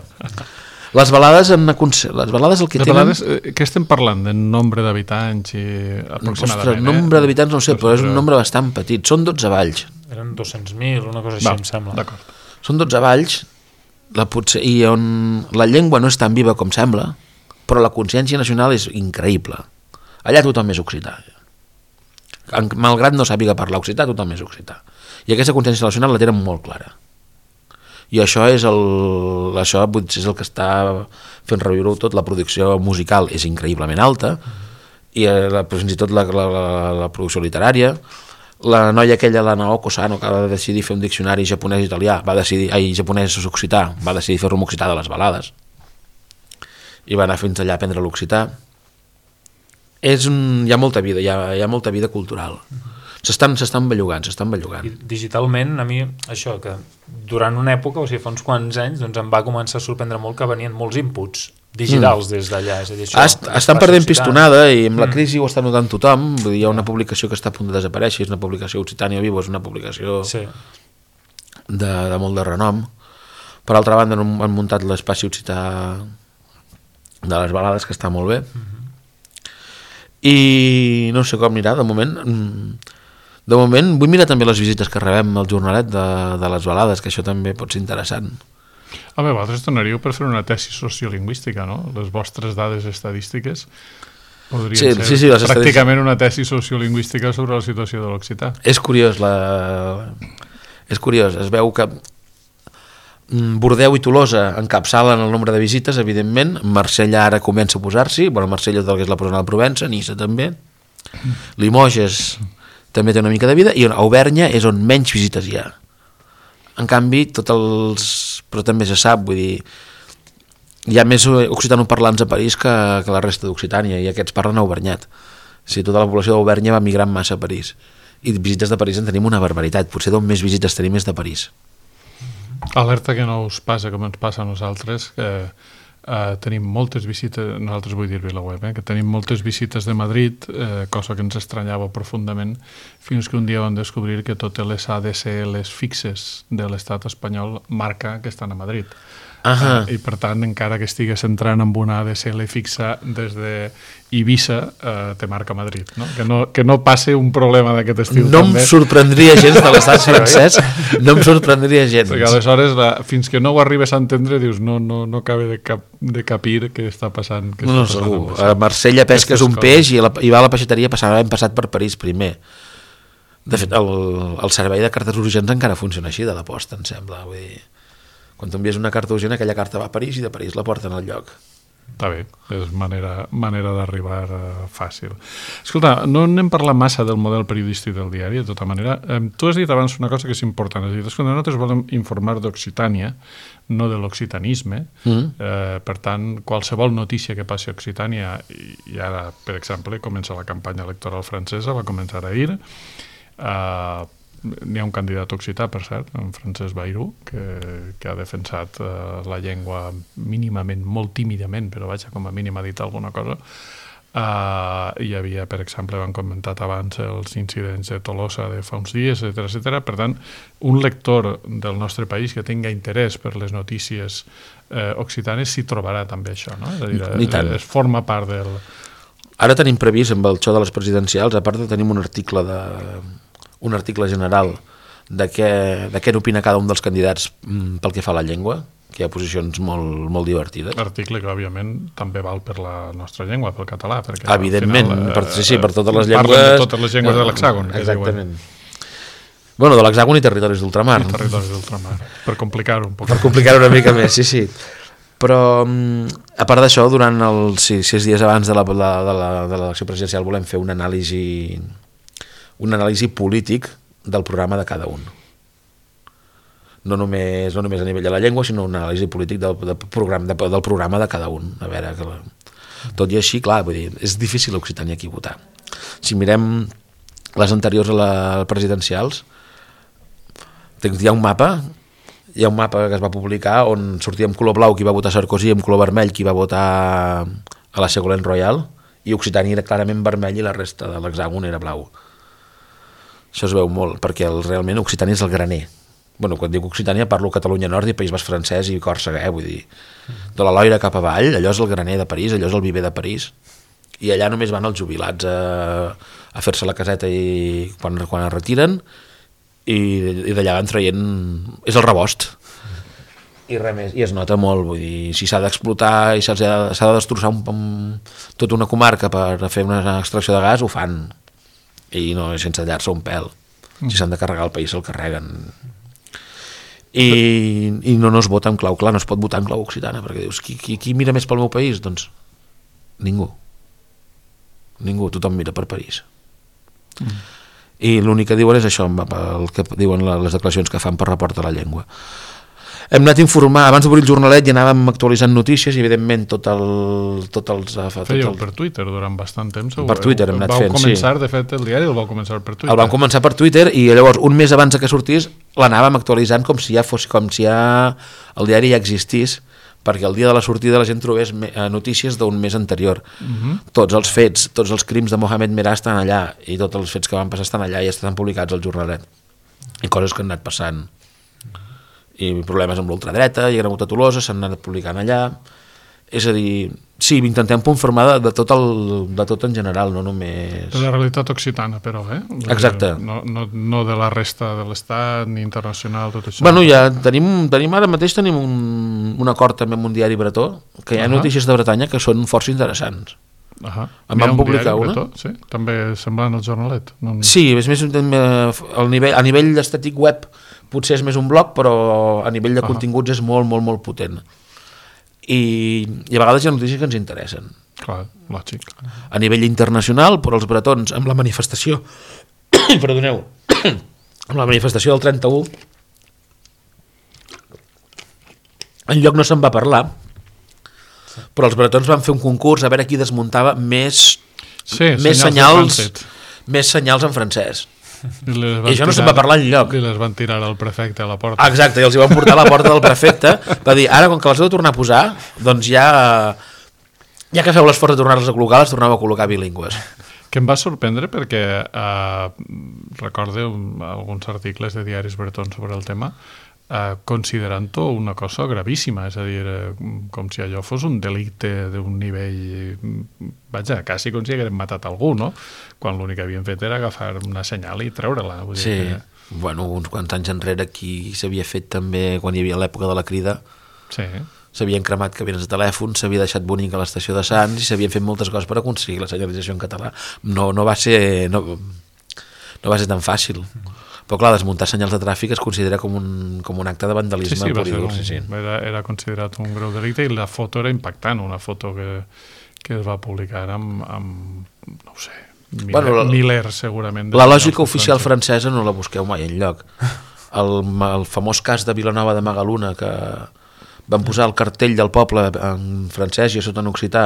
Les balades, en, les balades el que les tenen... balades, eh, què estem parlant? De nombre d'habitants i aproximadament? Ostres, nombre d'habitants no ho sé, però és un nombre bastant petit. Són dotze valls. Eren dos-cents mil, una cosa així, Va, em sembla. D'acord. Són dotze valls, la potser, i on la llengua no és tan viva com sembla, però la consciència nacional és increïble. Allà tothom és occità. Malgrat no sàpiga parlar occità, tothom és occità. I aquesta consciència nacional la tenen molt clara. I això és el, això és el que està fent reviure tot. La producció musical és increïblement alta, i la, fins i tot la, la, la, la producció literària. La noia aquella, la Naoko Sano, que va decidir fer un diccionari japonès-italià, va decidir, ai, japonès-occità, va decidir fer-lo en occità de les balades. I va anar fins allà a aprendre l'occità. És un, hi ha molta vida, hi ha, hi ha molta vida cultural. S'estan s'estan bellugant, s'estan bellugant. I digitalment, a mi, això, que durant una època, o sigui, fa uns quants anys, doncs em va començar a sorprendre molt que venien molts inputs digitals mm. des d'allà. És a dir, això, Est, estan perdent pistonada i amb la crisi mm. ho està notant tothom. Vull dir, hi ha una publicació que està a punt de desaparèixer, és una publicació Occitània Vivo, és una publicació sí. de, de molt de renom. Per altra banda, han muntat l'espai occità de les balades, que està molt bé. Mm-hmm. I no sé com anirà, de moment... De moment vull mirar també les visites que rebem al jornalet de, de les balades, que això també pot ser interessant. Home, vosaltres donaríeu per fer una tesi sociolingüística, no? Les vostres dades estadístiques podrien sí, ser sí, sí, les pràcticament una tesi sociolingüística sobre la situació de l'occità. És curiós, la... és curiós, es veu que Bordeu i Tolosa encapçalen el nombre de visites, evidentment. Marsella ara comença a posar-s'hi, bueno, Marsella és el que és la presona de Provença, Niça també, Limoges també té una mica de vida, i a Auvernya és on menys visites hi ha. En canvi, tots els... però també se sap, vull dir, hi ha més occitanoparlants a París que, que la resta d'Occitània, i aquests parlen auvernyat. O sigui, tota la població d'Auvernya va migrant massa a París, i visites de París en tenim una barbaritat, potser d'on més visites tenim és de París. Alerta que no us passa com ens passa a nosaltres, que eh, tenim moltes visites, nosaltres vull dir VilaWeb, eh, que tenim moltes visites de Madrid, eh, cosa que ens estranyava profundament, fins que un dia vam descobrir que totes les A D S Ls fixes de l'estat espanyol marca que estan a Madrid. Uh-huh. Eh, I per tant, encara que estigues entrant amb una A D S L fixa des de Eivissa, eh, te marca Madrid, no? Que, no, que no passe un problema d'aquest estil. No també. Em sorprendria gens de l'estat francès, no em sorprendria gens. Perquè aleshores, la, fins que no ho arribes a entendre, dius, no, no, no acaba de, cap, de capir què està passant. Què no, no, està segur. passant A Marsella pesques un peix i, la, i va a la peixateria, passava, hem passat per París primer. De fet, el, el servei de cartes urgents encara funciona així, de la posta, em sembla. Vull dir, quan t'envies una carta urgent, aquella carta va a París i de París la porten al lloc. Està bé, és manera, manera d'arribar uh, fàcil. Escolta, no n'hem parlat massa del model periodístic del diari, de tota manera. Eh, tu has dit abans una cosa que és important, has dit, escolta, nosaltres volem informar d'Occitània, no de l'occitanisme, mm. eh, per tant, qualsevol notícia que passi a Occitània, i, i ara, per exemple, comença la campanya electoral francesa, va començar ahir, eh, n'hi ha un candidat occità, per cert, en Francesc Bayrou, que, que ha defensat uh, la llengua mínimament, molt tímidament, però vaja, com a mínim ha dit alguna cosa. Uh, hi havia, per exemple, vam comentat abans els incidents de Tolosa de fa uns dies, etcètera, etcètera. Per tant, un lector del nostre país que tinga interès per les notícies uh, occitanes s'hi trobarà també això, no? És a dir, es forma part del... Ara tenim previst, amb el xou de les presidencials, a part de tenim un article de... un article general de què, de què n'opina cada un dels candidats pel que fa a la llengua, que hi ha posicions molt, molt divertides. Article que, òbviament, també val per la nostra llengua, pel català. Perquè, evidentment, al final, per, sí, sí, per totes les llengües... Parlen de totes les llengües de l'hexàgon. Exactament. Bueno, de l'hexàgon i territoris d'ultramar. I territoris d'ultramar, per complicar-ho un poc. Per complicar-ho una mica més, sí, sí. Però, a part d'això, durant els sis, sis dies abans de l'elecció presidencial volem fer una anàlisi... un anàlisi polític del programa de cada un. No només, no només a nivell de la llengua, sinó un anàlisi polític del, del, programa, de, del programa de cada un. A veure, que la... tot i així, clar, vull dir, és difícil a Occitània aquí votar. Si mirem les anteriors a les presidencials, hi ha un mapa, hi ha un mapa que es va publicar on sortia en color blau qui va votar Sarkozy, en color vermell qui va votar a la Ségolène Royal, i Occitània era clarament vermell i la resta de l'hexàgon era blau. Això es veu molt, perquè el, realment Occitània és el graner. Bueno, quan dic Occitània parlo Catalunya Nord i País Basc francès i Còrsega, eh? Vull dir, de la Loira cap avall, allò és el graner de París, allò és el viver de París, i allà només van els jubilats a, a fer-se la caseta i quan, quan es retiren, i, i d'allà van traient... és el rebost. I res més, i es nota molt, vull dir, si s'ha d'explotar i s'ha de, s'ha de destrossar un, un, tota una comarca per fer una extracció de gas, ho fan, i no, sense tallar-se un pèl. Si s'han de carregar el país, se'l carreguen. I, i no, no es vota en clau, clar, no es pot votar en clau occitana, perquè dius, qui, qui, qui mira més pel meu país? Doncs ningú. Ningú, tothom mira per París. Mm. I l'únic que diuen és això, el que diuen les declaracions que fan per report de la llengua. Hem anat a informar, abans d'obrir el jornalet i anàvem actualitzant notícies i evidentment tot el... Tot els, tot Fèieu el... per Twitter durant bastant temps. Per Twitter hem anat vau fent, començar, sí. De fet, el diari el vau començar per Twitter. El vam començar per Twitter i llavors un mes abans que sortís l'anàvem actualitzant com si ja fos, com si ja el diari ja existís, perquè el dia de la sortida la gent trobés notícies d'un mes anterior. Uh-huh. Tots els fets, tots els crims de Mohamed Merah estan allà i tots els fets que van passar estan allà i estan publicats al jornalet. I coses que han anat passant. I problemes amb l'ultradreta i Agramunt a Tolosa s'han anat publicant allà. És a dir, sí, intentem informar de, de, tot el, de tot en general, no només... De la realitat occitana, però, eh? Exacte. No, no, no de la resta de l'Estat, ni internacional, tot això. Bueno, ja tenim, tenim ara mateix tenim un, un acord també amb un diari bretó, que hi ha uh-huh. notícies de Bretanya que són força interessants. Uh-huh. En vam publicar una. Bretó, sí? També semblant al jornalet. No... Sí, és més, el nivell, a nivell estètic web potser és més un blog, però a nivell de uh-huh. continguts és molt, molt, molt potent. I, i a vegades hi ha notícies que ens interessen. Clar, lògic. A nivell internacional, però els bretons, amb la manifestació perdoneu amb la manifestació del trenta-u enlloc no se'n va parlar, però els bretons van fer un concurs a veure qui desmuntava més, sí, més senyals, senyals més senyals en francès. I, I això no tirar, se'n va parlar enlloc. I les van tirar al prefecte a la porta. Exacte, i els hi van portar a la porta del prefecte. Va dir, ara com que les heu de tornar a posar, doncs ja, ja que feu l'esforç de tornar-les a col·locar, les torneu a col·locar bilingües. Que em va sorprendre perquè eh, recorde alguns articles de diaris bretons sobre el tema, eh, considerant-ho una cosa gravíssima, és a dir, eh, com si allò fos un delicte d'un nivell, vaja, quasi com si hagueren matat algú, no? Quan l'únic que havien fet era agafar una senyal i treure-la. Vull sí, dir que... bueno, uns quants anys enrere aquí s'havia fet també, quan hi havia l'època de la Crida, sí. S'havien cremat cabines de telèfon, s'havia deixat bonic a l'estació de Sants i s'havien fet moltes coses per aconseguir la senyalització en català. No, no, va ser, no, no va ser tan fàcil. Però clar, desmuntar senyals de tràfic es considera com un, com un acte de vandalisme. Sí, sí, va ser un, sí, sí. Era, era considerat un greu delicte i la foto era impactant, una foto que, que es va publicar amb, amb no ho sé, mil, bueno, la, milers segurament. La lògica oficial francesa no la busqueu mai enlloc. El, el famós cas de Vilanova de Magaluna, que van posar el cartell del poble en francès i a sota en occità,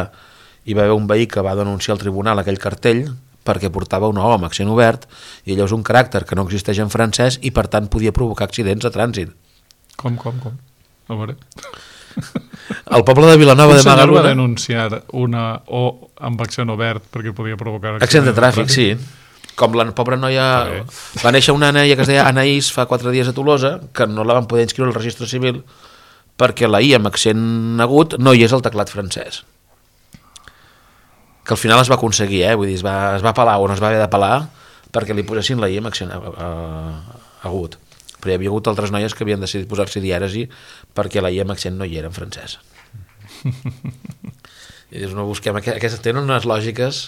i va haver un veí que va denunciar al tribunal aquell cartell perquè portava una O amb accent obert i allò és un caràcter que no existeix en francès i per tant podia provocar accidents a trànsit. Com, com, com? A veure... El poble de Vilanova de Magaluna... Un senyor va denunciar una O amb accent obert perquè podia provocar accidents accent de tràfic, sí. Com la pobra noia... Okay. Va néixer una noia que es deia Anaïs fa quatre dies a Tolosa, que no la van poder inscriure al registre civil perquè la I amb accent agut no hi és al teclat francès. Que al final es va aconseguir, eh? Vull dir, es va, es va apel·lar o no es va haver d'apel·lar perquè li posessin la I amb accent agut. Però hi havia hagut altres noies que havien decidit posar-s'hi dièresi perquè la I amb accent no hi era en francès. I dius, no busquem... Aquestes tenen unes lògiques...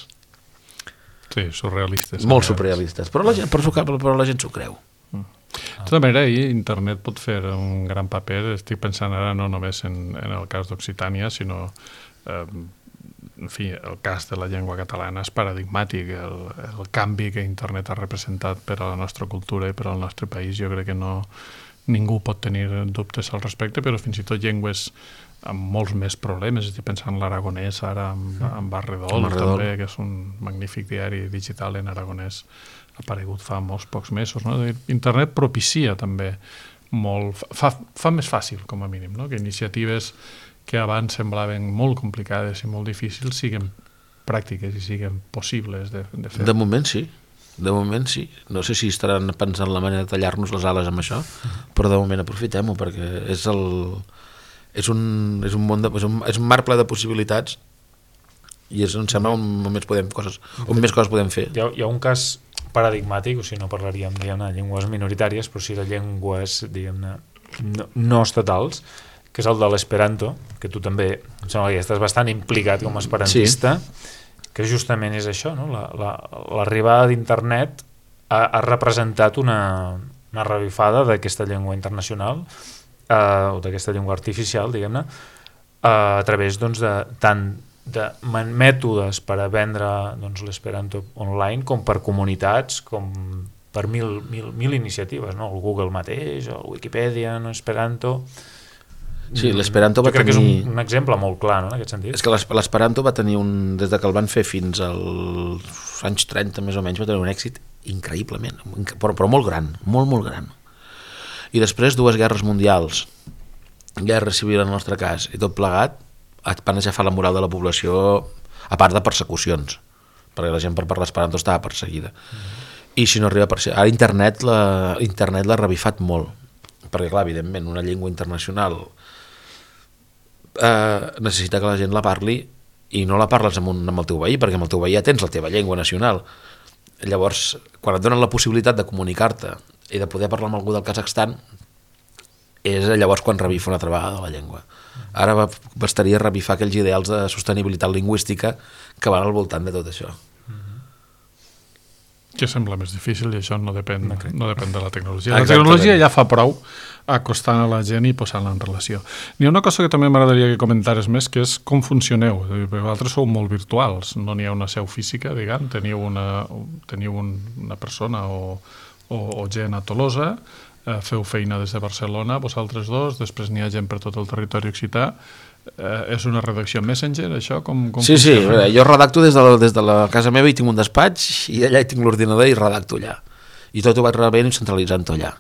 Sí, surrealistes. Molt surrealistes, però la gent, però, però la gent s'ho creu. De tota manera, ahir internet pot fer un gran paper, estic pensant ara no només en, en el cas d'Occitània, sinó eh, en fi, el cas de la llengua catalana és paradigmàtic. El, el canvi que internet ha representat per a la nostra cultura i per al nostre país, jo crec que no, ningú pot tenir dubtes al respecte, però fins i tot llengües amb molts més problemes. Estic pensant en l'aragonès ara, amb, amb Arredol, Arredol, també, que és un magnífic diari digital en aragonès, ha aparegut fa molts pocs mesos. No? Internet propicia també molt, fa, fa més fàcil, com a mínim, no? Que iniciatives que abans semblaven molt complicades i molt difícils siguin pràctiques i siguin possibles de, de fer. De moment sí, de moment sí. No sé si estaran pensant la manera de tallar-nos les ales amb això, però de moment aprofitem-ho, perquè és el... És un, és un món de, és un, és un mar ple de possibilitats i és on sembla on més, podem coses, on més coses podem fer. Hi ha, hi ha un cas paradigmàtic, o sigui, no parlaríem diguem-ne, de llengües minoritàries, però sí de llengües diguem-ne, no, no estatals, que és el de l'esperanto, que tu també em sembla que ja estàs bastant implicat com a esperantista, sí. Que justament és això, no? La, la, l'arribada d'internet ha, ha representat una, una revifada d'aquesta llengua internacional, eh, o d'aquesta llengua artificial, diguem-ne, eh, a través doncs, de tant de mètodes per a vendre doncs, l'esperanto online com per comunitats, com per mil, mil, mil iniciatives, no? El Google mateix, el Wikipedia, no? Esperanto... Sí, l'esperanto va jo crec tenir... que és un, un exemple molt clar, no, en aquest sentit. És que l'esperanto va tenir un... Des de que el van fer fins als anys trenta, més o menys, va tenir un èxit increïblement, però, però molt gran, molt, molt gran. I després dues guerres mundials, guerra civil en el nostre cas, i tot plegat, van aixafar la moral de la població, a part de persecucions, perquè la gent per parlar esperanto estava perseguida. Mm-hmm. I si no arriba a perseguir... Ara internet l'ha, internet l'ha revifat molt, perquè clar, evidentment, una llengua internacional... Eh, necessita que la gent la parli i no la parles amb, un, amb el teu veí, perquè amb el teu veí ja tens la teva llengua nacional. Llavors, quan et donen la possibilitat de comunicar-te i de poder parlar amb algú del Kazakhstan, és llavors quan revifa una altra vegada la llengua. Ara bastaria revifar aquells ideals de sostenibilitat lingüística que van al voltant de tot això. Que sembla més difícil i això no depèn, no, no depèn de la tecnologia. La Exactament. tecnologia ja fa prou acostant a la gent i posant-la en relació. N'hi ha una cosa que també m'agradaria que comentares més, que és com funcioneu. Vosaltres sou molt virtuals, no n'hi ha una seu física, diguem, teniu una, teniu un, una persona o, o, o gent a Tolosa, eh, feu feina des de Barcelona, vosaltres dos, després n'hi ha gent per tot el territori occità. Eh, és una redacció Messenger, això? Com, com sí, funciona? sí, jo redacto des de, la, des de la casa meva i tinc un despatx i allà hi tinc l'ordinador i redacto allà. I tot ho vaig rebent i centralitzant allà.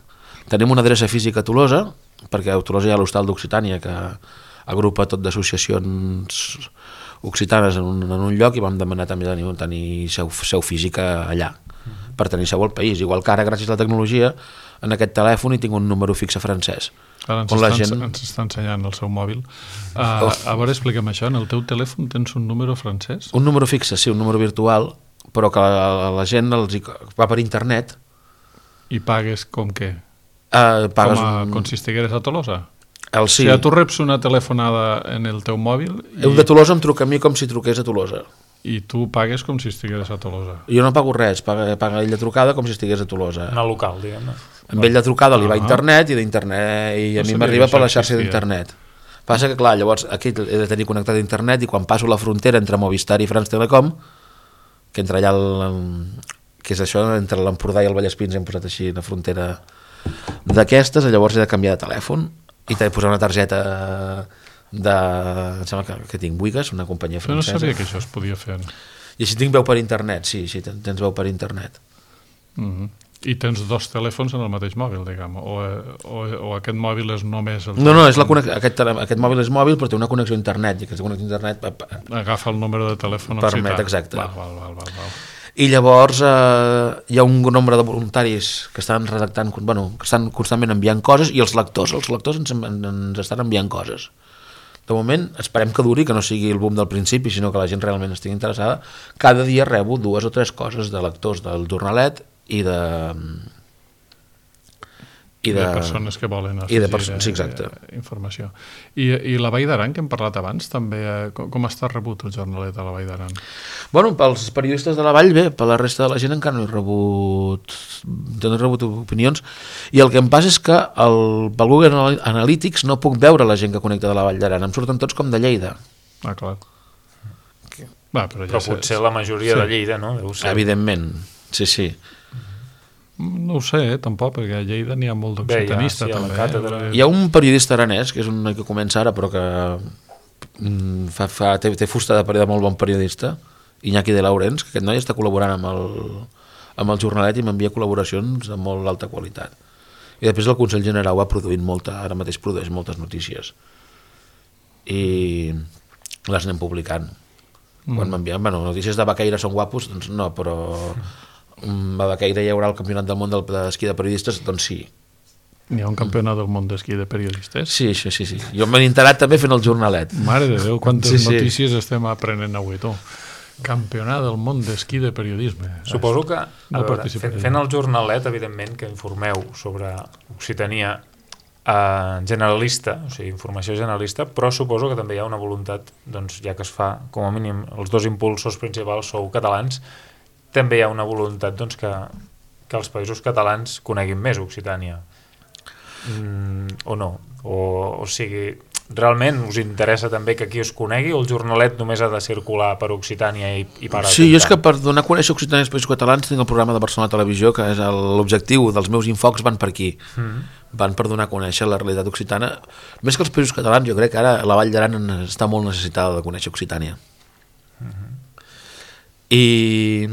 Tenim una adreça física a Tolosa, perquè a Tolosa hi ha l'Hostal d'Occitània que agrupa tot d'associacions occitanes en un, en un lloc i vam demanar també tenir, tenir seu, seu física allà, per tenir seu al país. Igual que ara, gràcies a la tecnologia, en aquest telèfon hi tinc un número fixe francès. Ara ens, on la està, gent... ens està ensenyant el seu mòbil. Uh, oh. A veure, explica'm això, en el teu telèfon tens un número francès? Un número fixe, sí, un número virtual, però que la, la gent els hi, va per internet. I pagues com què? Uh, pagues com, a, un... com si estigueres a Tolosa? El sí. O sigui, tu reps una telefonada en el teu mòbil i... El de Tolosa em truca a mi com si truqués a Tolosa. I tu pagues com si estigueres a Tolosa. Jo no pago res, paga, paga ell de trucada com si estigués a Tolosa. Una local, diguem-ne. Amb ell de trucada li va a internet i d'internet i a No mi sabia m'arriba que per la això xarxa existia. d'internet. Passa que, clar, llavors aquí he de tenir connectat a internet i quan passo la frontera entre Movistar i France Telecom, que entre allà, el, que és això, entre l'Empordà i el Vallespins hem posat així la frontera d'aquestes, llavors he de canviar de telèfon i t'he de posar una targeta de... em sembla que, que tinc Bouygues, una companyia Però no francesa. sabia que això es podia fer. I així tinc veu per internet, sí, sí, tens veu per internet. Mm-hmm. I tens dos telèfons en el mateix mòbil, diguem, o, o, o aquest mòbil és només el No, no, és la connex... aquest, aquest mòbil és mòbil però té una connexió a internet i aquesta connexió a internet agafa el número de telèfon permet, occità. exacte. Val, val, val, val, val. I llavors eh, hi ha un nombre de voluntaris que estan redactant, bueno, que estan constantment enviant coses i els lectors, els lectors ens, ens estan enviant coses. De moment esperem que duri, que no sigui el boom del principi, sinó que la gent realment estigui interessada. Cada dia rebo dues o tres coses de lectors del jornalet i de... I de, de persones que volen i de afegir sí, exacte. eh, informació. I, I la Vall d'Aran, que hem parlat abans, també, eh, com, com està rebut el jornalet a la Vall d'Aran? Bueno, pels periodistes de la Vall, bé, per la resta de la gent encara no he rebut, no he rebut opinions, i el que em passa és que el, pel Google Analytics no puc veure la gent que connecta de la Vall d'Aran, em surten tots com de Lleida. Ah, clar. Va, però ja però sé. potser la majoria Sí. de Lleida, no? Deu ser. Evidentment, sí, sí. No ho sé, eh, tampoc, perquè a Lleida n'hi ha molt d'occitanista. Bé, ja, sí, a la també. càtedra. Eh? Hi ha un periodista aranès, que és un que comença ara, però que mm, fa, fa, té, té fusta de, de molt bon periodista, Iñaki de Laurens, que aquest noi està col·laborant amb el, amb el Jornalet i m'envia col·laboracions de molt alta qualitat. I després el Consell General va produint molta, ara mateix produeix moltes notícies. I les anem publicant. Mm. Quan m'envien, bueno, notícies de Baqueira són guapos, doncs no, però a Baqueira hi haurà el campionat del món d'esquí de periodistes, doncs sí. N'hi ha un campionat del món d'esquí de periodistes? Sí, sí, sí, sí. Jo m'he enterat també fent el jornalet. Mare de Déu, quantes Sí, sí. notícies estem aprenent avui, tu. Campionat del món d'esquí de periodisme. Suposo que, a No veure, participaré. fent, fent el jornalet, evidentment, que informeu sobre Occitania eh, generalista, o sigui, informació generalista, però suposo que també hi ha una voluntat, doncs, ja que es fa, com a mínim, els dos impulsors principals sou catalans, també hi ha una voluntat doncs, que, que els països catalans coneguin més Occitània. Mm, o no? O, o sigui, realment us interessa també que aquí us conegui o el jornalet només ha de circular per Occitània i, i parar? Sí, jo és que per donar a conèixer Occitània als països catalans tinc el programa de Barcelona Televisió, que és el- l'objectiu dels meus infocs van per aquí. Mm. Van per donar a conèixer la realitat occitana. Més que els països catalans, jo crec que ara la Vall d'Aran està molt necessitada de conèixer Occitània. I...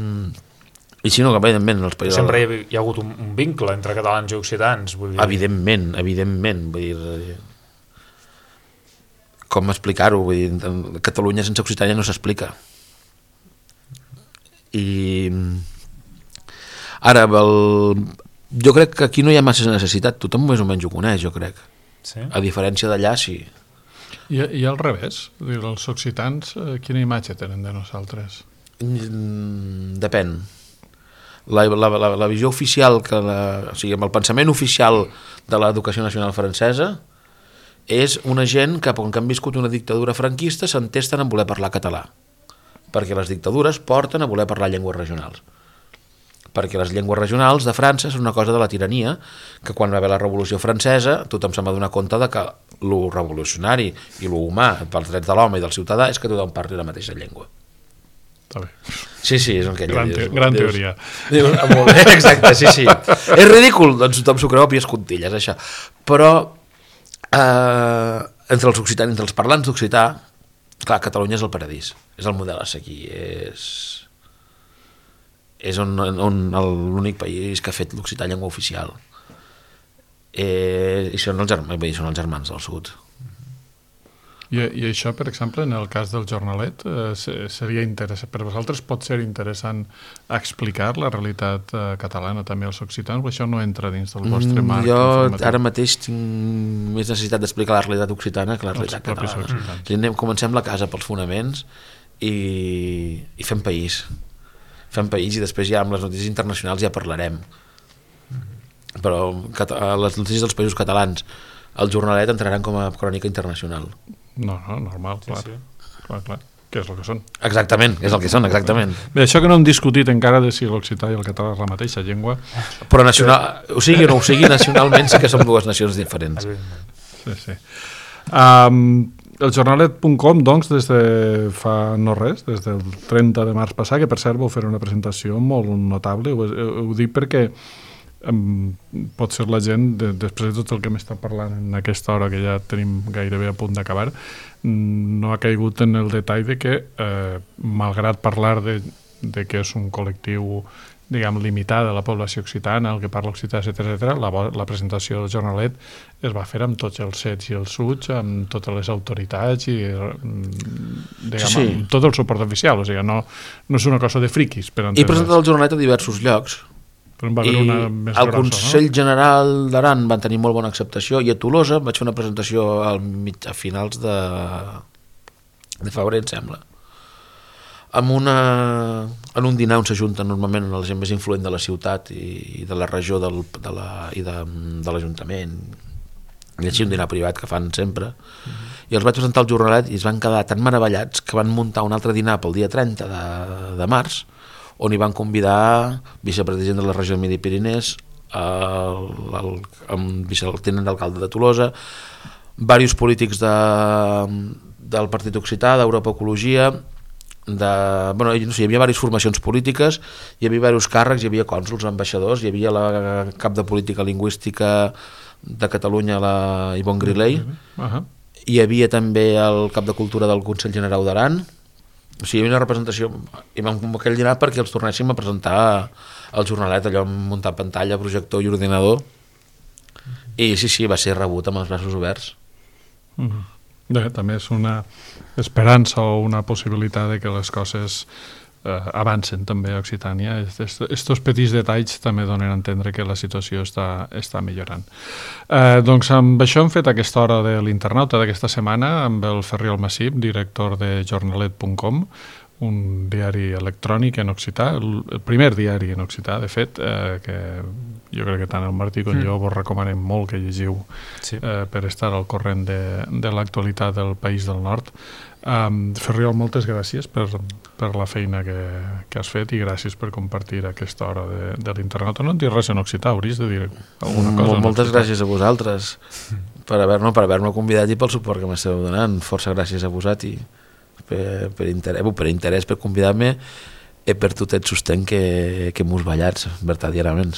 I si no, que evidentment els països... Sempre hi ha, hi ha hagut un, un vincle entre catalans i occitans, vull dir. Evidentment, evidentment, vull dir... Com explicar-ho? Vull dir, Catalunya sense Occitània no s'explica. I... Ara, el... jo crec que aquí no hi ha massa necessitat, tothom més o menys ho coneix, jo crec. Sí? A diferència d'allà, sí. I, I al revés, dir, els occitans, eh, quina imatge tenen de nosaltres? Mm, Depèn. La, la, la, la visió oficial, que la, o sigui, amb el pensament oficial de l'educació nacional francesa, és una gent que, com que han viscut una dictadura franquista, s'entesten en voler parlar català. Perquè les dictadures porten a voler parlar llengües regionals. Perquè les llengües regionals de França són una cosa de la tirania, que quan va haver la Revolució Francesa tothom se'n va donar compte de que lo revolucionari i lo humà pels drets de l'home i del ciutadà és que tothom parli la mateixa llengua. Està bé. Sí, sí, és el que ella Gran, dius. te gran dius, teoria. Dius, ah, molt bé, exacte, sí, sí. És ridícul, doncs tothom s'ho creu a pies contilles, això. Però eh, entre els occitans, entre els parlants d'occità, clar, Catalunya és el paradís, és el model a seguir, és, és on, on l'únic país que ha fet l'occità llengua oficial. Eh, i són els, germans, són els germans del sud. I, I això, per exemple, en el cas del jornalet, eh, seria interessant, per vosaltres pot ser interessant explicar la realitat eh, catalana també als occitans, o això no entra dins del vostre marc Jo informatiu? ara mateix tinc més necessitat d'explicar la realitat occitana que la Els realitat propis catalana. occitans. I anem, comencem la casa pels fonaments i, i fem país. Fem país i després ja amb les notícies internacionals ja parlarem. Però cata- les notícies dels països catalans, el jornalet entraran com a crònica internacional. No, no, normal, clar. sí. clar, clar. Què és el que són? Exactament, és el que són, exactament. Bé, això que no hem discutit encara de si l'occità i el català és la mateixa llengua. Però nacional, o sigui o no ho sigui, nacionalment sí que són dues nacions diferents. Sí, sí. Um, el jornalet punt com, doncs, des de fa no res, des del trenta de març passat, que per cert vau fer una presentació molt notable, ho, ho dic perquè um, pot ser la gent, de, després de tot el que m'està parlant en aquesta hora, que ja tenim gairebé a punt d'acabar, no ha caigut en el detall de que, eh, malgrat parlar de, de que és un col·lectiu diguem, limitada a la població occitana, el que parla occità, etcètera, etcètera, la, la presentació del jornalet es va fer amb tots els sets i els suts, amb totes les autoritats i diguem, Sí. amb tot el suport oficial, o sigui, no, no és una cosa de friquis. Per He presentat el jornalet a diversos llocs però en va i haver una més al grossa, Consell no? General d'Aran van tenir molt bona acceptació i a Tolosa vaig fer una presentació al mig, a finals de, de febrer, em sembla, amb una, en un dinar on s'ajunten normalment la gent més influent de la ciutat i, i de la regió del, de la, i de, de l'Ajuntament, i així un dinar privat que fan sempre, mm-hmm. i els vaig presentar el jornalet i es van quedar tan meravellats que van muntar un altre dinar pel dia trenta de, de març, on hi van convidar vicepresident de la regió de Midi-Pirinès, el, el, el, el tinent d'alcalde de Tolosa, diversos polítics de, del Partit Occità, d'Europa Ecologia, de, bueno, no sé, hi havia diverses formacions polítiques, hi havia diversos càrrecs, hi havia cònsols, ambaixadors, hi havia la cap de política lingüística de Catalunya, la Ivonne Griley, uh -huh. hi havia també el cap de cultura del Consell General d'Aran, o sigui, hi havia una representació, i vam convocar el dinar perquè els tornéssim a presentar el jornalet, allò amb muntar pantalla, projector i ordinador, i sí, sí, va ser rebut amb els braços oberts. Uh-huh. Bé, també és una esperança o una possibilitat de que les coses eh, avancen també a Occitània. Estos petits detalls també donen a entendre que la situació està, està millorant. Eh, doncs amb això hem fet aquesta hora de l'internauta d'aquesta setmana amb el Ferriol Massip, director de jornalet punt com, un diari electrònic en occità, el, el primer diari en occità, de fet, eh, que jo crec que tant el Martí com mm. jo vos recomanem molt que llegiu sí. eh, per estar al corrent de, de l'actualitat del País del Nord. Um, Ferriol, moltes gràcies per, per la feina que, que has fet i gràcies per compartir aquesta hora de, de l'internet. No en dius res en occità, hauries de dir alguna cosa. Mol, moltes gràcies a vosaltres per haver-me per haver convidat i pel suport que m'esteu donant. Força gràcies a vosaltres per, per, interès, per interès, per convidar-me i per tot el sostén que, que mos ballats verdaderament.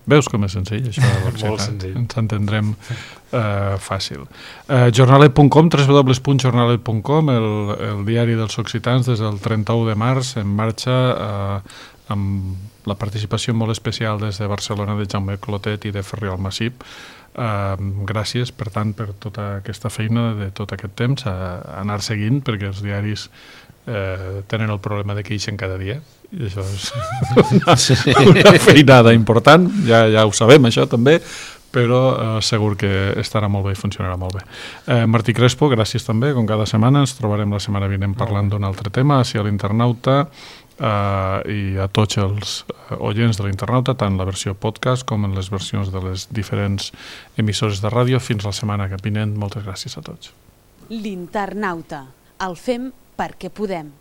Veus com és senzill, això de l'occità? Molt senzill. Ens entendrem uh, fàcil. Uh, jornalet punt com, w w w punt jornalet punt com, el, el diari dels occitans des del trenta-u de març en marxa uh, amb la participació molt especial des de Barcelona de Jaume Clotet i de Ferriol Massip. Uh, gràcies, per tant, per tota aquesta feina de tot aquest temps, a, a anar seguint, perquè els diaris eh, tenen el problema de que ixen cada dia, i això és una, sí. una feinada important, ja, ja ho sabem això també, però eh, segur que estarà molt bé i funcionarà molt bé. Eh, Martí Crespo, gràcies també, com cada setmana, ens trobarem la setmana vinent parlant d'un altre tema, així a l'internauta, Uh, i a tots els oients de l'internauta, tant la versió podcast com en les versions de les diferents emissores de ràdio. Fins la setmana que vinent. Moltes gràcies a tots. L'internauta. El fem perquè podem.